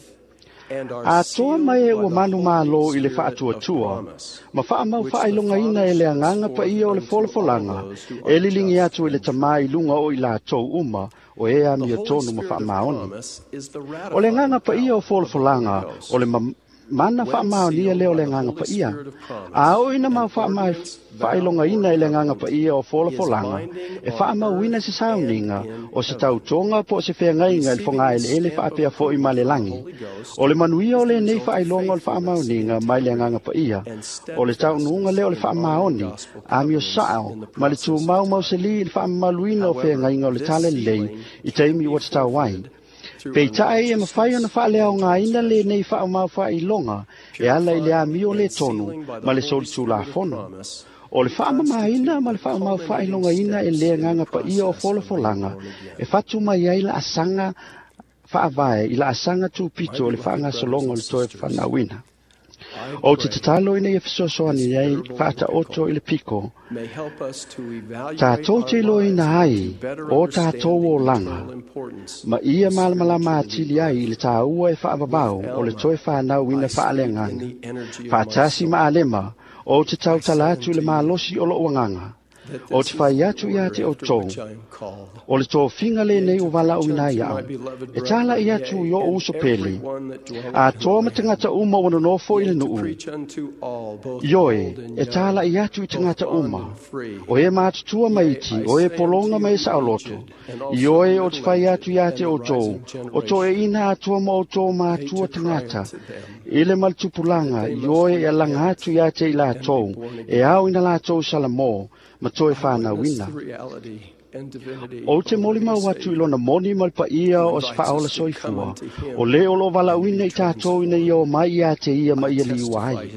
Atoa mai e ua manu mālō i le faatuatua, ma faamau faailogaina e le agaga paia o le folafolaga, e liligi atu i le tamā i luga o i latou uma o e amiotonu ma faamaoni. O le agaga paia o folafolaga, o le mana faamaonia lea o le agaga paia. A oo ina mau faailogaina i le agaga paia o folafolaga, e faamauina se sauniga o se tautoga po o se feagaiga i le fogaeleele faapea fo'i ma le lagi. O le manuia o lenei faailoga o le faamaoniga mai le agaga paia, o le taunuuga lea o le faamaoni, amio sa'o ma le tumau mauselī i le faamamaluina o feagaiga o le tala lelei i taimi ua tatau ai. Peita'i e mafai ona faaleaogaina lenei faamau faailoga e ala i le amio le tonu ma le solitulafono. O le faamamaina ma le faamau faailogaina e le agaga paia o folafolaga e fatu mai ai laasaga faavae i laasaga tupito o le faagasologa o le toe fanauina. O te tatalo ina ia fesoasoani ai faataoto i le piko, tatou te iloaina ai o tatou olaga, ma ia malamalama atili ai i le tāua e faavavau o le toe fanauina faaleagaga. Faatasi ma alema, o te tautala atu i le malosi o lou agaga, o te fai atu iā te outou, o le tofiga lenei ua valaauina ai au, e tala'i atu i o'u uso pele, atoa ma tagata uma ua nonofo i le nuu. Ioe, e tala'i atu i tagata uma, o e matutua ma iti, o e pologa ma e saoloto. Ioe, o te fai atu iā te outou, o toeʻina atoa ma outou matua tagata, i le maletupulaga, ioe e alaga atu iā te i latou, e ao ina latou salamō, ma toe fanauina. O te molimau atu i lona moni ma le paia o se faaola soifua, o lē o loo valaauina i tatou ina ia o mai iā te ia ma ia liua ai.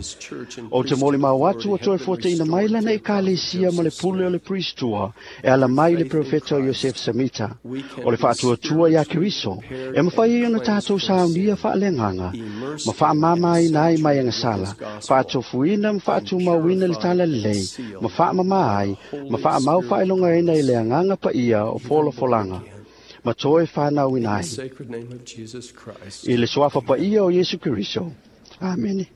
O te molimau atu o toe fuataʻina mai lana ekalesia ma le pule o le Pristua e ala mai le perofeta o Iosef Samita. O le faatuatua iā Keriso e mafai ai ona tatou saunia faaleagaga ma faamāmāina ai mai agasala, faatofuina ma faatumauina le tala lelei, ma faamamā ai ma faamau faailogaina i le agaga paia o folafolaga ma toe fanauina ai. I le suafa paia o Iesu Keriso. Amene.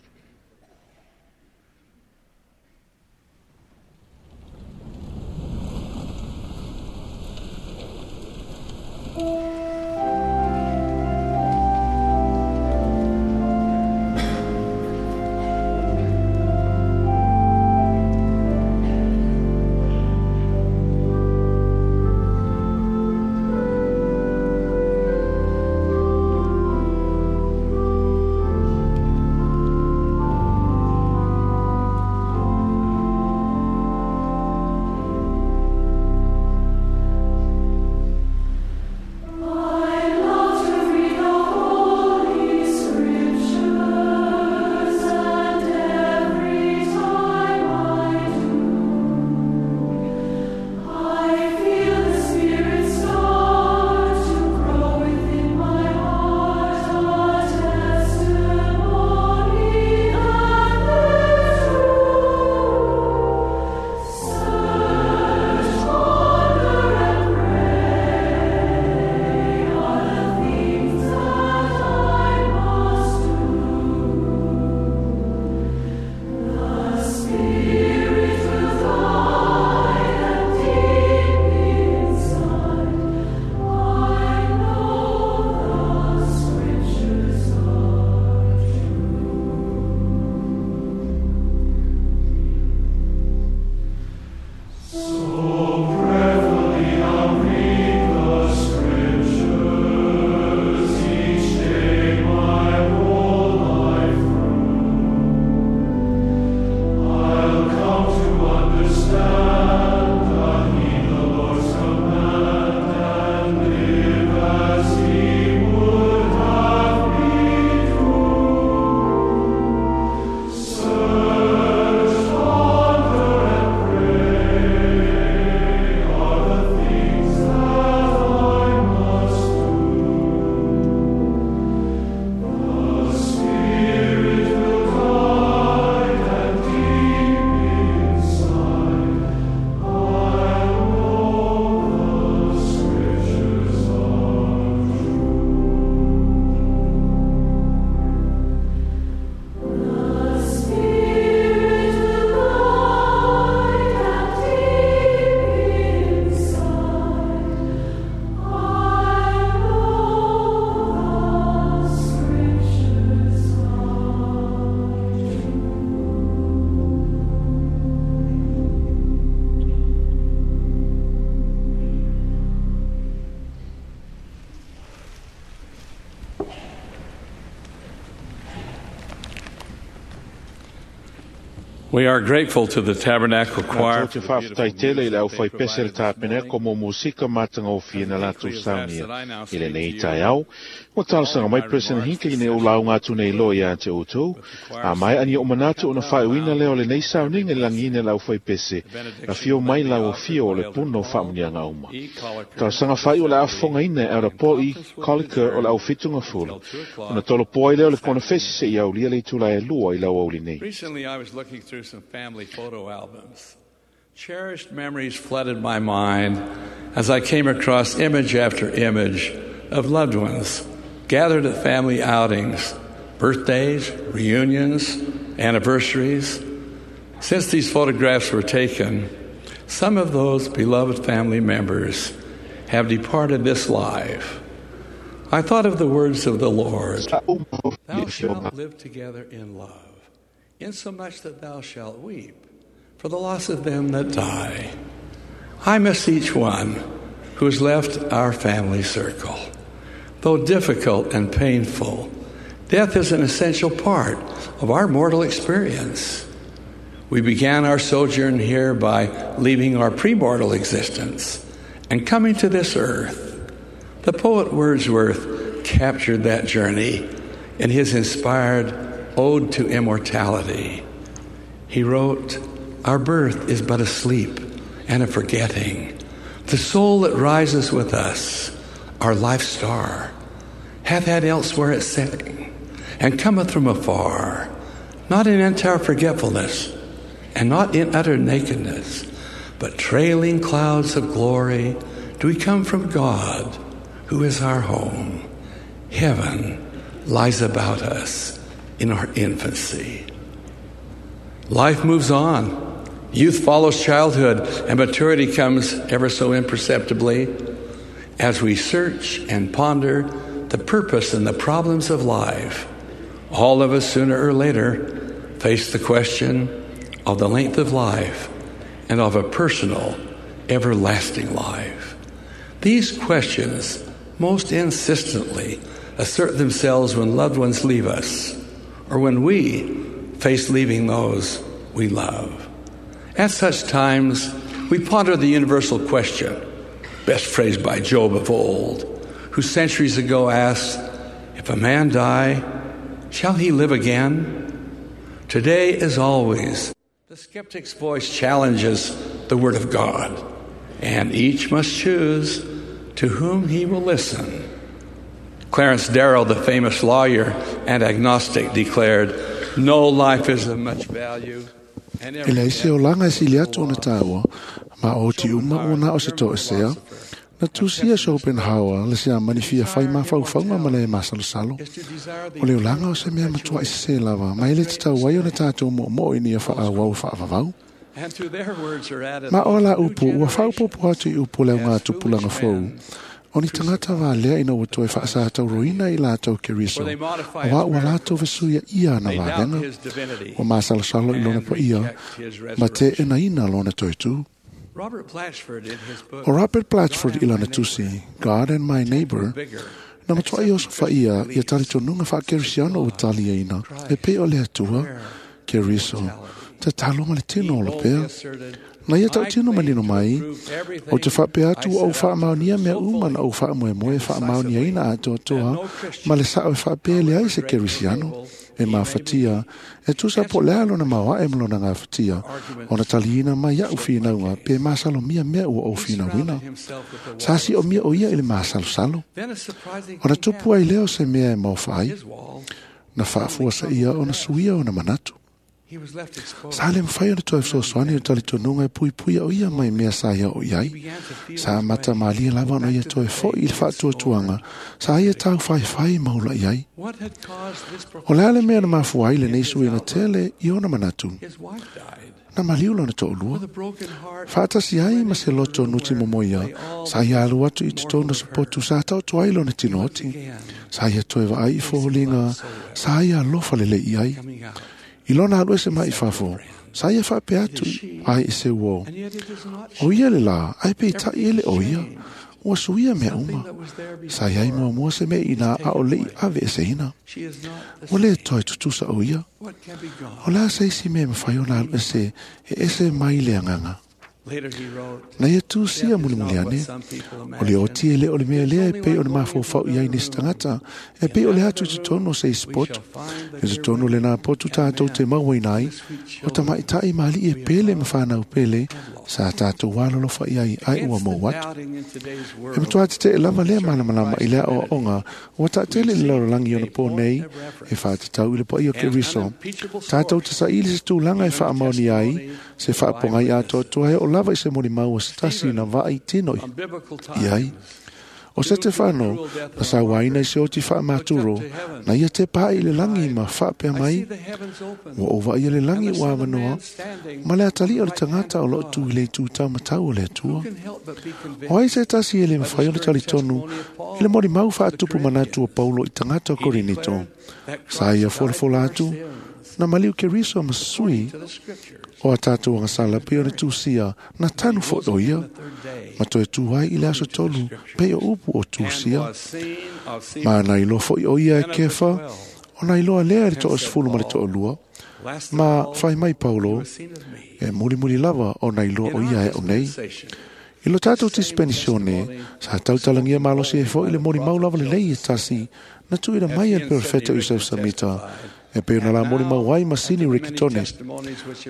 We are grateful to the Tabernacle Choir. Te whawhitai tele i le au whai pese le tāpeneko mō musika mātanga o fia na lātou saunia. I le nei tai au, o talosanga mai President Hinckley nei o launga atu nei loa ia te outou. A mai ani o manatu ona whaiuina leo le nei sauninga i langina le au whai pese. Na fio mai lau o fio o le puno whaamunianga uma. Talosaga whai o le afonga ina e ara Paul E. Colliker o le au whitunga fulu. Ona tolo poai leo le kona fesi se i aulia le itula e lua i lau auli nei. Recently I was looking through some family photo albums. Cherished memories flooded my mind as I came across image after image of loved ones gathered at family outings, birthdays, reunions, anniversaries. Since these photographs were taken, some of those beloved family members have departed this life. I thought of the words of the Lord, Thou shalt live together in love, insomuch that thou shalt weep for the loss of them that die. I miss each one who has left our family circle. Though difficult and painful, death is an essential part of our mortal experience. We began our sojourn here by leaving our premortal existence and coming to this earth. The poet Wordsworth captured that journey in his inspired Ode to Immortality. He wrote, Our birth is but a sleep and a forgetting. The soul that rises with us, our life star, hath had elsewhere its setting, and cometh from afar, not in entire forgetfulness, and not in utter nakedness, but trailing clouds of glory do we come from God, who is our home. Heaven lies about us in our infancy. Life moves on. Youth follows childhood, and maturity comes ever so imperceptibly as we search and ponder the purpose and the problems of life. All of us, sooner or later, face the question of the length of life and of a personal, everlasting life. These questions most insistently assert themselves when loved ones leave us, or when we face leaving those we love. At such times, we ponder the universal question, best phrased by Job of old, who centuries ago asked, If a man die, shall he live again? Today, as always, the skeptic's voice challenges the Word of God, and each must choose to whom he will listen. Clarence Darrow, the famous lawyer and agnostic, declared, No life is of much value. E leai se olaga e sili atu ona tāua, ma o ti uma ua na o se toʻesea, na tusia Schopenhauer le siamani fia fai mafaufauga ma le masalosalo. O le olaga o se mea matuaʻi sesē lava, ma e le tatau ai ona tatou moʻomoʻo ina ia faaauau e faavavau. Ma o la upu, ua faaopopo atu i upu o le augatupulaga fou, o ni tagata valea ina ua toe faasatauroina i latou Keriso, auā ua latou fesuia ia ana valega, ua masalosalo i lona paia, ma teʻenaina lona toetū. O Robert Blatchford i lana tusi, God and My Neighbor, na matuaʻi osofaia ia talitonuga faakerisiano ua taliaina, e pei o le Atua, Keriso, tatalo ma le tino o lapea. Na ia tautino manino mai, o te faapea atu ua ou faamaonia mea uma na ou faamoemoe e faamaoniaina atoatoa, ma le saʻo e faapea leai se kerisiano, e mafatia, e tusa po o le a lona maoaʻe ma lona gafatia, ona taliina mai aʻu finauga pe masalomia mea ua ou finauina. Sa siʻomia o ia i le masalosalo. Ona tupu ai lea o se mea e maofa ai, na faafuasaʻia ona suia ona manatu. Sa le mafai ona toe fesoasoani o talitonuga e puipuia o ia mai mea sa ia o i ai. Sa amata malie lava ona ia toe foʻi i le faatuatuaga, sa ia taufaifai ma ulaʻi ai. O le a le mea na mafua ai lenei suiga tele i ona manatu? Na maliu lona toʻulua. Faatasi ai ma se loto nuti momoia, sa ia alu atu i totonu o se potu sa taoto ai lona tinooti. Sa ia toe vaai i foliga, sa ia alofa lelei i ai. I lona alu ese mai fafo, sa ia faapea atu ai i se uo. O ia le la, ai peitaʻi e le o ia. Ua suia mea uma. Sa iai muamua se mea ina a o lei ave e seina. Ua le toe tutusa o ia. O la se isi mea mawhai o na alu ese e ese mai le anganga. Na ia tūsia mulimuli ane, o le oti e le o le mea lea e pei o le mafofau i ai nisi tagata, e pei o le atu i totonu o se isi poto, e totonu le nā potu tātou te mauaina ai, o tamaitai ma ali'i e pele ma whanau pele, sa tātou alolofa i ai ai ua mou atu. E matua te te lava lea malamalama i lea oaoga, ua taatele i le lalolagi ona pō nei, e whaatatau i le paia o Keriso, tātou te saili se tūlanga e whaamaoni ai, se whaapongai atoatoa he o lava i se molimau o se tasi na vaai tino i ai. O se te whanau, na sa waina i se oti whaamaturo, na ia te pā i le langi ma whaapea mai, ua o vai le langi ua awanoa, ma le atali o le tangata o loo tu i le tūtau matau o le atua. O ai se tasi e le mawhai o le talitonu, i le molimau whaatupu manatu o Paulo i tangata o Korinito. Sa ia folafola atu, na maliu Keriso ma sui o a tātou angasala pe o le tūsia na tanu fo'o ia ma toe tū ai i le aso tolu pe o upu o tūsia ma na iloa fo'i o ia e Kefa o na iloa lea i le to'asefulu ma le to'alua ma fai mai Paulo e mulimuli lava o na iloa o ia e o nei. I lo tātou dispensione, sa tautalangia malosi e fo'i le molimau lava lelei e tasi na tuuina mai e le perofeta Iosef Samita e pe na la molimau ai ma Sini Rikitone.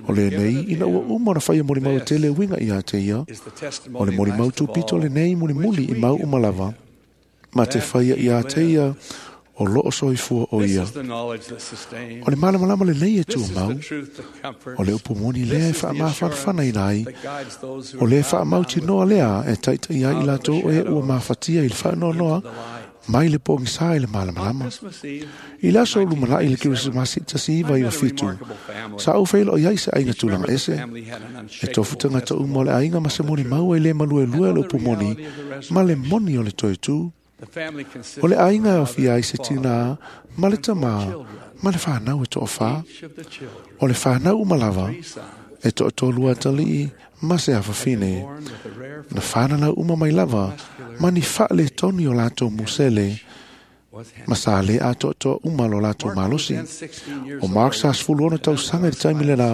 O le nei, ina ua uma ona whaia molimau e tele winga i a te ia, o le molimau tupito le nei mulimuli i mau uma lava, ma te whaia i a te ia, o loo soifua o ia. O le malamalama le nei e tua mau, o le upu moni lea e whaamawhanawhana ina ai, o le whaamau tinoa lea e taitai ai i latou e ua mafatia i le whaanoanoa, mai le pōgisa i le malamalama. I le aso lumanai le Kerisimasi tasi iwa iwa fitu, sa au whailo i ai se ainga tūlanga ese, e tofu tangata uma o le ainga ma se molimau e le maluelue le upu moni, ma le moni o le toe tū. O le ainga e ofia ai se tina, ma le tamā, ma le whanau e to'owhā. O le whanau umalava, e to'atolu atalii, ma se awhawhine. Na whanau uma mai lava, ma ni whaale toni o lātou musele, ma sa le atoatoa uma lo lātou malosi. O Mark sa sefulu ono tausaga i le taimi lena,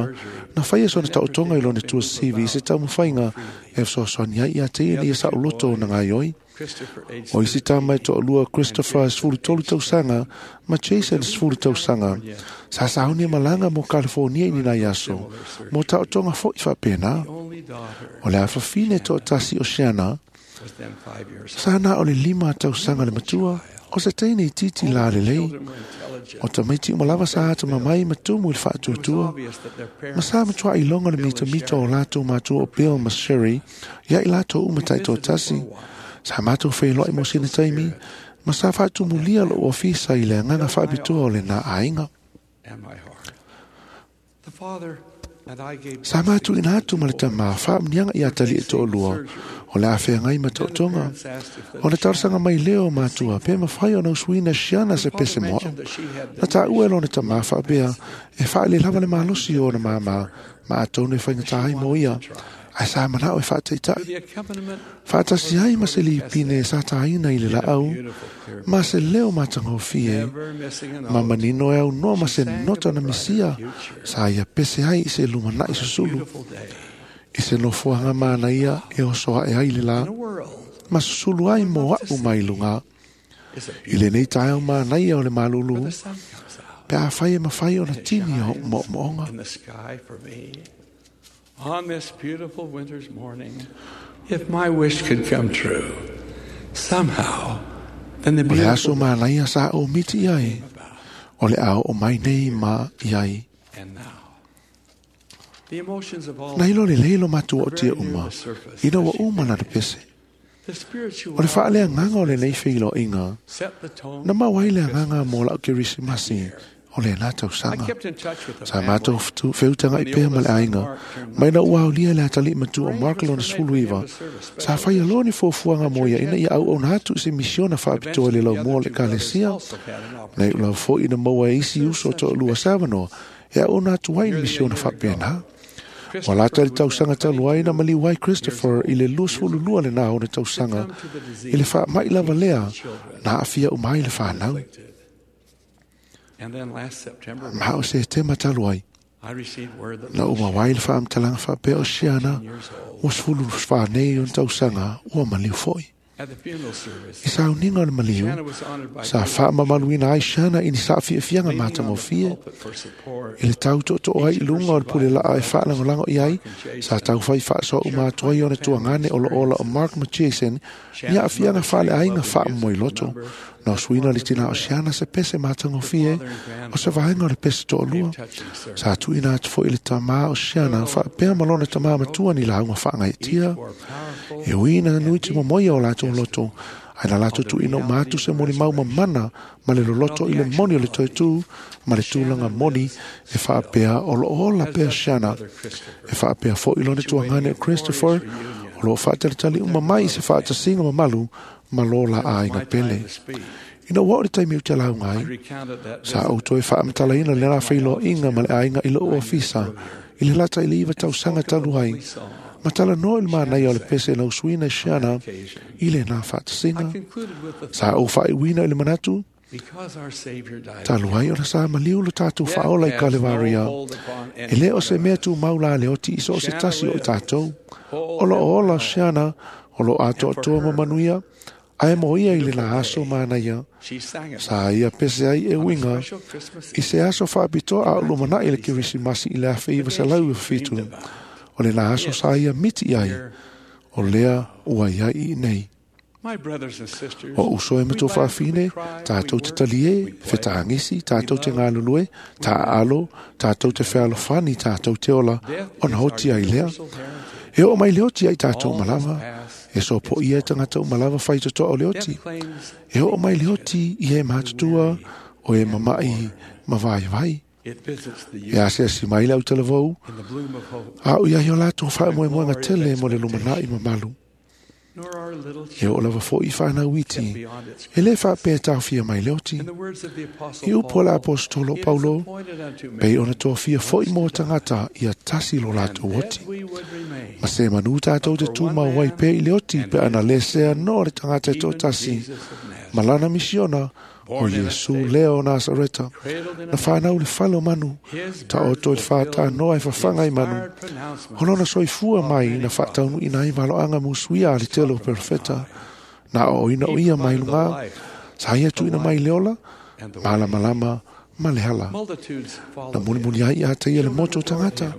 na whaia sona taotoga i lona tua sivi i se taumafaiga e fesoasoani ai ia te ia ina ia sa'uloto ona gaioi. O isi tama e to'alua Christopher sefulu tolu tausaga ma Jason sefulu tausaga sa sauni e malaga mo California i ni nai aso mo taotoga fo'i faapena. O le afafine to'atasi o Siana sa na o le lima tausaga le matua o se teine i titi la lelei. O tamaiti uma lava sa ata mamai ma tumu i le fa'atuatua. Ma sa matua i loga le mitamita o latou matua o Bill ma Sherry ia i latou uma ta'itoatasi. Sa mātou whailoa mo sina taimi, ma sa whaatumulia lo ofisa i le anganga whaapitoa o le nā ainga. Sa mātou ina atu ma le tamā whaamnianga i atali e to'olua, o le awhea ma to'otoga. O le tarasanga mai leo mātua, pe mawhai o nausuina siana se pese moa. Na tā ua e lona tamā whaapea, e whaale lava le malosi o na māmā, ma atonu e whainga ai mo ia. Ai sa manao e whaataitai. Whaatasi ai ma se lipine sa tāina i le laau, ma se leo matangofie, ma manino e au noa ma se nota na misia, sa ia pese ai i se lumanai susulu. I se nofoanga mana ia e osoa e ai le la, ma susulu ai mo au mai lunga. I le nei taeo mana ia o le malulu, pe a whai e mawhai o na tini o mo moonga. On this beautiful winter's morning, if my wish could come true, somehow, then the O le aso beautiful manaia sa o miti ai, o le ao o mai nei ma i ai. and now. The emotions of all Na ilo le leilo matua o tia uma, ina ua uma na le pese. the spiritual O le whaalea nganga o le nei whilo inga, set the tone. na mawai le nganga mo lau Kerisimasi, o le nā tausaga. I kept in touch with the Sa mātou wheutanga i pēa ma le ainga, mai na ua aulia le atali matua o Mark lona sefulu iwa, sa whai aloa ni fuafuaga mo ia ina ia au au atu i se misiona whaapitoa le lau mua le kalesia, nei ulau fo'i na maua e isi uso o to'alua savanoa, e au ona atu ai ni misiona whaapena. Ua lata i le tausaga talu ai na maliu ai Christopher i le luasefululua lenā ona tausaga i le faama'i lava lea na aafia uma ai le fanau. Ma o Setema talu ai na ou maua ai le faamatalaga faapea o Siana ua sefulu fa nei ona tausaga ua maliu fo'i. I sauniga o le maliu, sa faamamaluina ai Siana i ni saafiafiaga matagofie i le tau tootoo ai i luga o le pulelaa e faalagolago i ai, sa taufai faasoa uma atu ai ona tuagane o loo ola o Mark ma Jason ni aafiaga faaleaiga faamomoiloto. Na osuina le tinā o Siana se pese matagofie o se vaega o le pese toalua. Sa tuuina atu fo'i le tamā o Siana faapea ma lona tamā matua ni lauga faagaeetia. E ui ina nui timomoia o latou loto, ae na latou tuuina uma atu se molimau mamana ma le loloto i le moni o le toetū ma le tulaga moni e faapea o loo ola pea Siana. E faapea fo'i lona tuagane o Christopher o loo faatalitali uma mai i se faatasiga mamalu ma lo la aiga pele. Ina ua oo le taimi ou te lauga ai, sa ou toe faamatalaina le la feiloaiga ma le aiga i lou ofisa i le lata i le iva tausaga talu ai, ma talanoa i le manaia o le pese na usuina e Siana i lenā faatasiga. Sa ou faaiuina i le manatu, talu ai ona sa maliu lo tatou faaola i Kalevaria, e lē o se mea tumau la le oti i so o se tasi o i tatou. O loo ola Siana, o loo atoatoa ma manuia, ae mo ia i le aso manaia. Sa ia pese ai e uiga i se aso faapitoa a o lumanai le Kerisimasi i le afe iva selau fitu. O le aso sa ia miti i ai, o lea ua iai i nei. O uso e matua faafine, tātou te talie, fetaagisi, tātou te galulue, taaalo, tātou te fealofani, tātou te ola, ona oti ai lea. E oo mai le oti ai tātou malava, e sopo ia e tagata uma lava faitotoa o le oti. E oo mai le oti i e matutua o e mama'i ma vaivai. E asiasi mai le autalavou, a o iai o latou faamoemoega tele mo le lumanai mamalu. E oo lava fo'i fanau iti, e lē faapea taofia mai le oti. I upu a le Aposetolo o Paulo, pei ona tofia fo'i mo tagata ia tasi lo latou oti. Ma se manu tātou te tumau ai pea i le oti pe ana lē sea noa le tagata e toatasi, ma lana misiona o Iesu lea o Nasareta, na whanau le fale o manu, ta o toi le whātānoa e whawhanga i manu. O lona soifua mai na whaataunu ina i valoanga musuia a le tele o perfeta, na o ina o ia mai lunga, sa ia tuina mai le ola, malamalama ma le hala. Na mulimuli ai a te ia le moto tangata,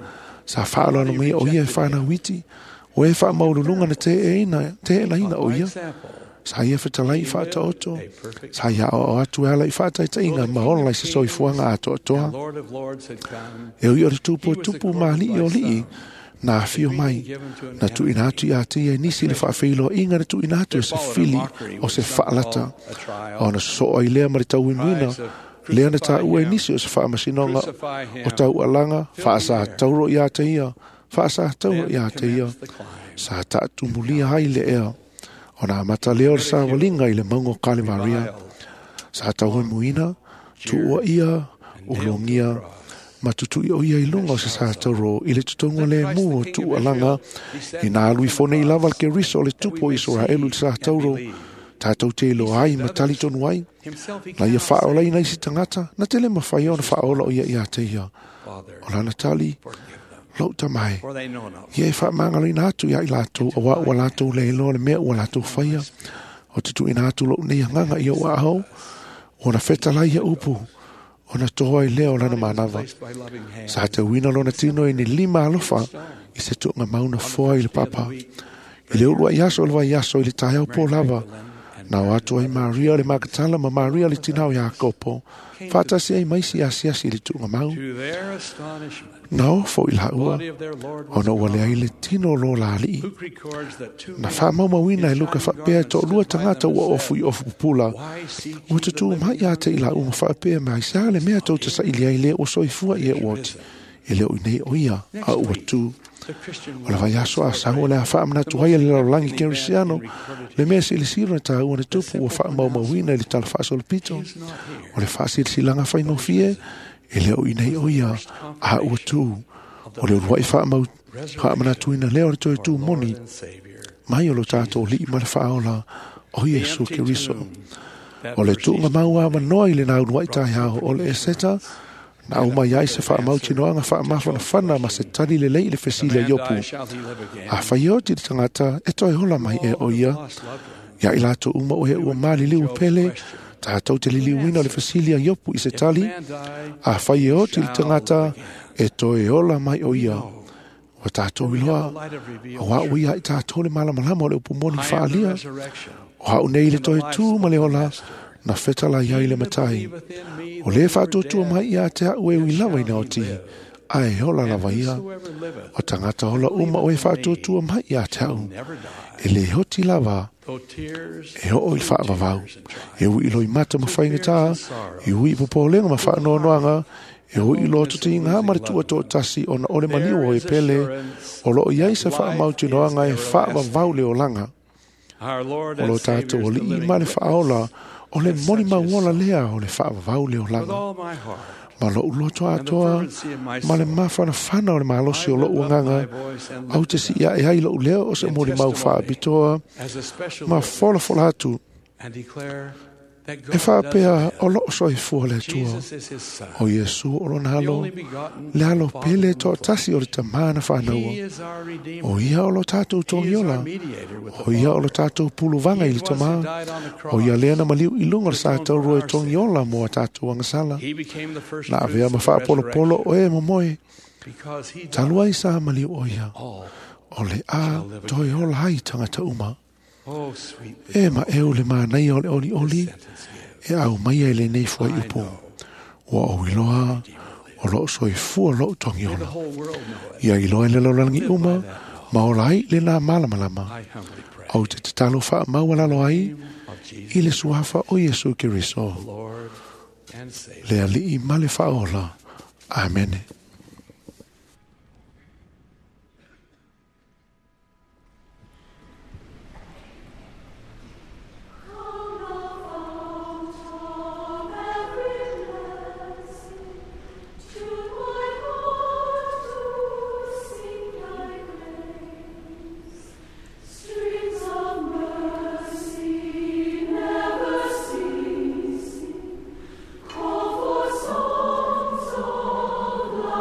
sa whaaloalo mai o ia e whanau iti, o e whaamaululunga na te e te elaina o ia. Sa ia fetalai i whaataoto, sa ia o atu e ala i whaataitainga ma ola i se soifuanga atoatoa. E ui o le tupu o tupu maali o lii, na awhio mai, na tuina atu i a te ia nisi le whaawheiloa inga na tuina atu e se fili o se whaalata. O na sosoa i lea ma le tauinuina, lea na tā ua e nisi o se whaamasinoga o tau alanga, whaasa tauro i a te ia, whaasa tauro i a te ia, sa taatumulia hai le ea. O nā mata leo le sa walinga i le maunga o Kalevaria. Sa tau muina, tuua ia, ulongia, ma tutui o ia i lunga o se sa tauro i le tutonga le mu o tuualanga i nā alui fone i lava le Keriso o le tupu o Israelu i le sa tauro. Tātou te ilo ai ma tali tonu ai. Na ia whaola ina isi tangata, na tele mawhai o na whaola o ia ia te ia. O lana tali, lou tamai. Ia e faamagaloina atu ia i latou, auā ua latou le iloa le mea ua latou faia. O te tuuina atu lou nei agaga ia ua ahou, ona fetalai ia upu, ona toa i lea o lana manava. Sa tauina lona tino i ni lima alofa i se tuuga mauna foa i le papa. I le ulu ai aso o le vaiaso i le taeao pō lava, na o atu ai Maria le Magatala ma Maria le tinā o Iakopo, faatasi ai maisi asiasi i le tuuga mau. Na ofo i laua, ona ua leai le tino o lo la alii. Na faamaumauina e Luka faapea e toalua tagata ua ofu i ofu pupula. Ua tutū mai ia te i laua ma faapea mai sa le mea tou te saili ai lea ua soifua i e ua oti. E leo i nei o ia, a ua tū. O le vaiaso a sau o le a faamanatu ai a le lalolagi kerisiano, le mea silisilo na tāua na tupu ua faamaumauina i le tala faasolopito. O le faasilasilaga faigofie, e leo i nei o ia, a ua tū. O le uluai faamau Faamanatuina lea o le toe tumoni mai o lo tatou Alii ma le Faaola o Iesu Keriso. O le tuuga mau avanoa i le nauluai taeao o le Eseta, na au mai ai se faamautinoaga faamafanafana ma se tali lelei i le fesili a Iopu. Afai e oti le tagata e toe ola mai e o ia, ia i latou uma o e ua maliliu pele, tatou te liliuina o le fesili a Iopu i se tali, afai e oti le tagata e toe ola mai o ia. Ua tatou iloa, o au ia i tatou le malamalama o le upu moni faalia, o au nei le toe tū ma le ola, na fetala iai le matai. O le faatuatua mai ia te au e ui lava ina oti, ae ola lava ia. O tagata ola uma o e faatuatua mai ia te au. E le hoti lava, e oo i le faavavau. E ui loi mata ma faigata, e ui i popolenga ma faanoanoaga, e ui i loto te inga ma le tuatoatasi ona ole maliu o e pele, o loo iai se faamautinoaga e faavavau le olaga. O lo tatou Alii ma le Faaola, o le moni mauola lea o le faavavau le olaga. Ma lou loto atoa, ma le mafanafana o le malosi o lou agaga, au te siia e ai lou leo o se moli mau faapitoa, ma folafola atu, e faapea o loo soifua le Atua. O Iesu o lona alo, le alo pele toatasi o le tamā na whānaua. O ia o lo tātou togiola, o ia o lo tātou puluvaga i le tamā, o ia lea na maliu i lunga o le sa taurua e togiola mo a tātou angasala. Na avea ma faapolopolo o e momoe, talu ai sa maliu o ia, o le a toe ola ai tangata uma. E ma eu le manaia o le oli oli, e au mai ai lenei fuaiupu. Ua ou iloa, o loo soifua lou togiola. Ia iloa i le lalolagi uma, ma ola ai le nā malamalama. Au te tatalo faamaualalo ai, i le suafa o Iesu Keriso. Le Alii ma le Faaola. Amene. Never ceasing, call for songs of love.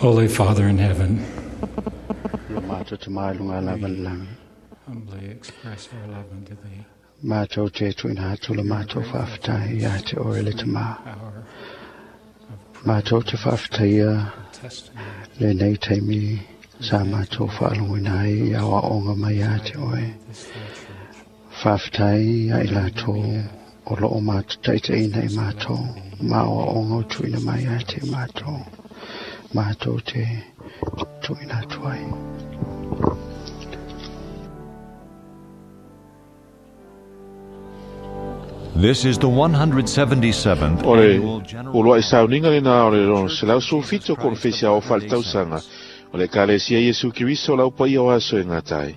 Holy Father in heaven, Lo mātou te mai lunga lava le langi. humbly express our love unto thee. Mātou te tuina atu le mātou whaafetai ia te ore le te mā. Mātou te whaafetaia le nei taimi sa mātou whaalongoina ai i awa onga mai ia te oe. Whaafetai ia i lātou o loo mātou taitaina i mātou. Ma o onga o tuina mai ia te mātou. Mātou te tuina atu ai. This is the one hundred seventy-seventh O le annual General uluai sauniga lena o le lona selau sulufitu o konofesi aoao faaletausaga o le Ekalesia Iesu Keriso o le Aupaia o Aso e Gata ai.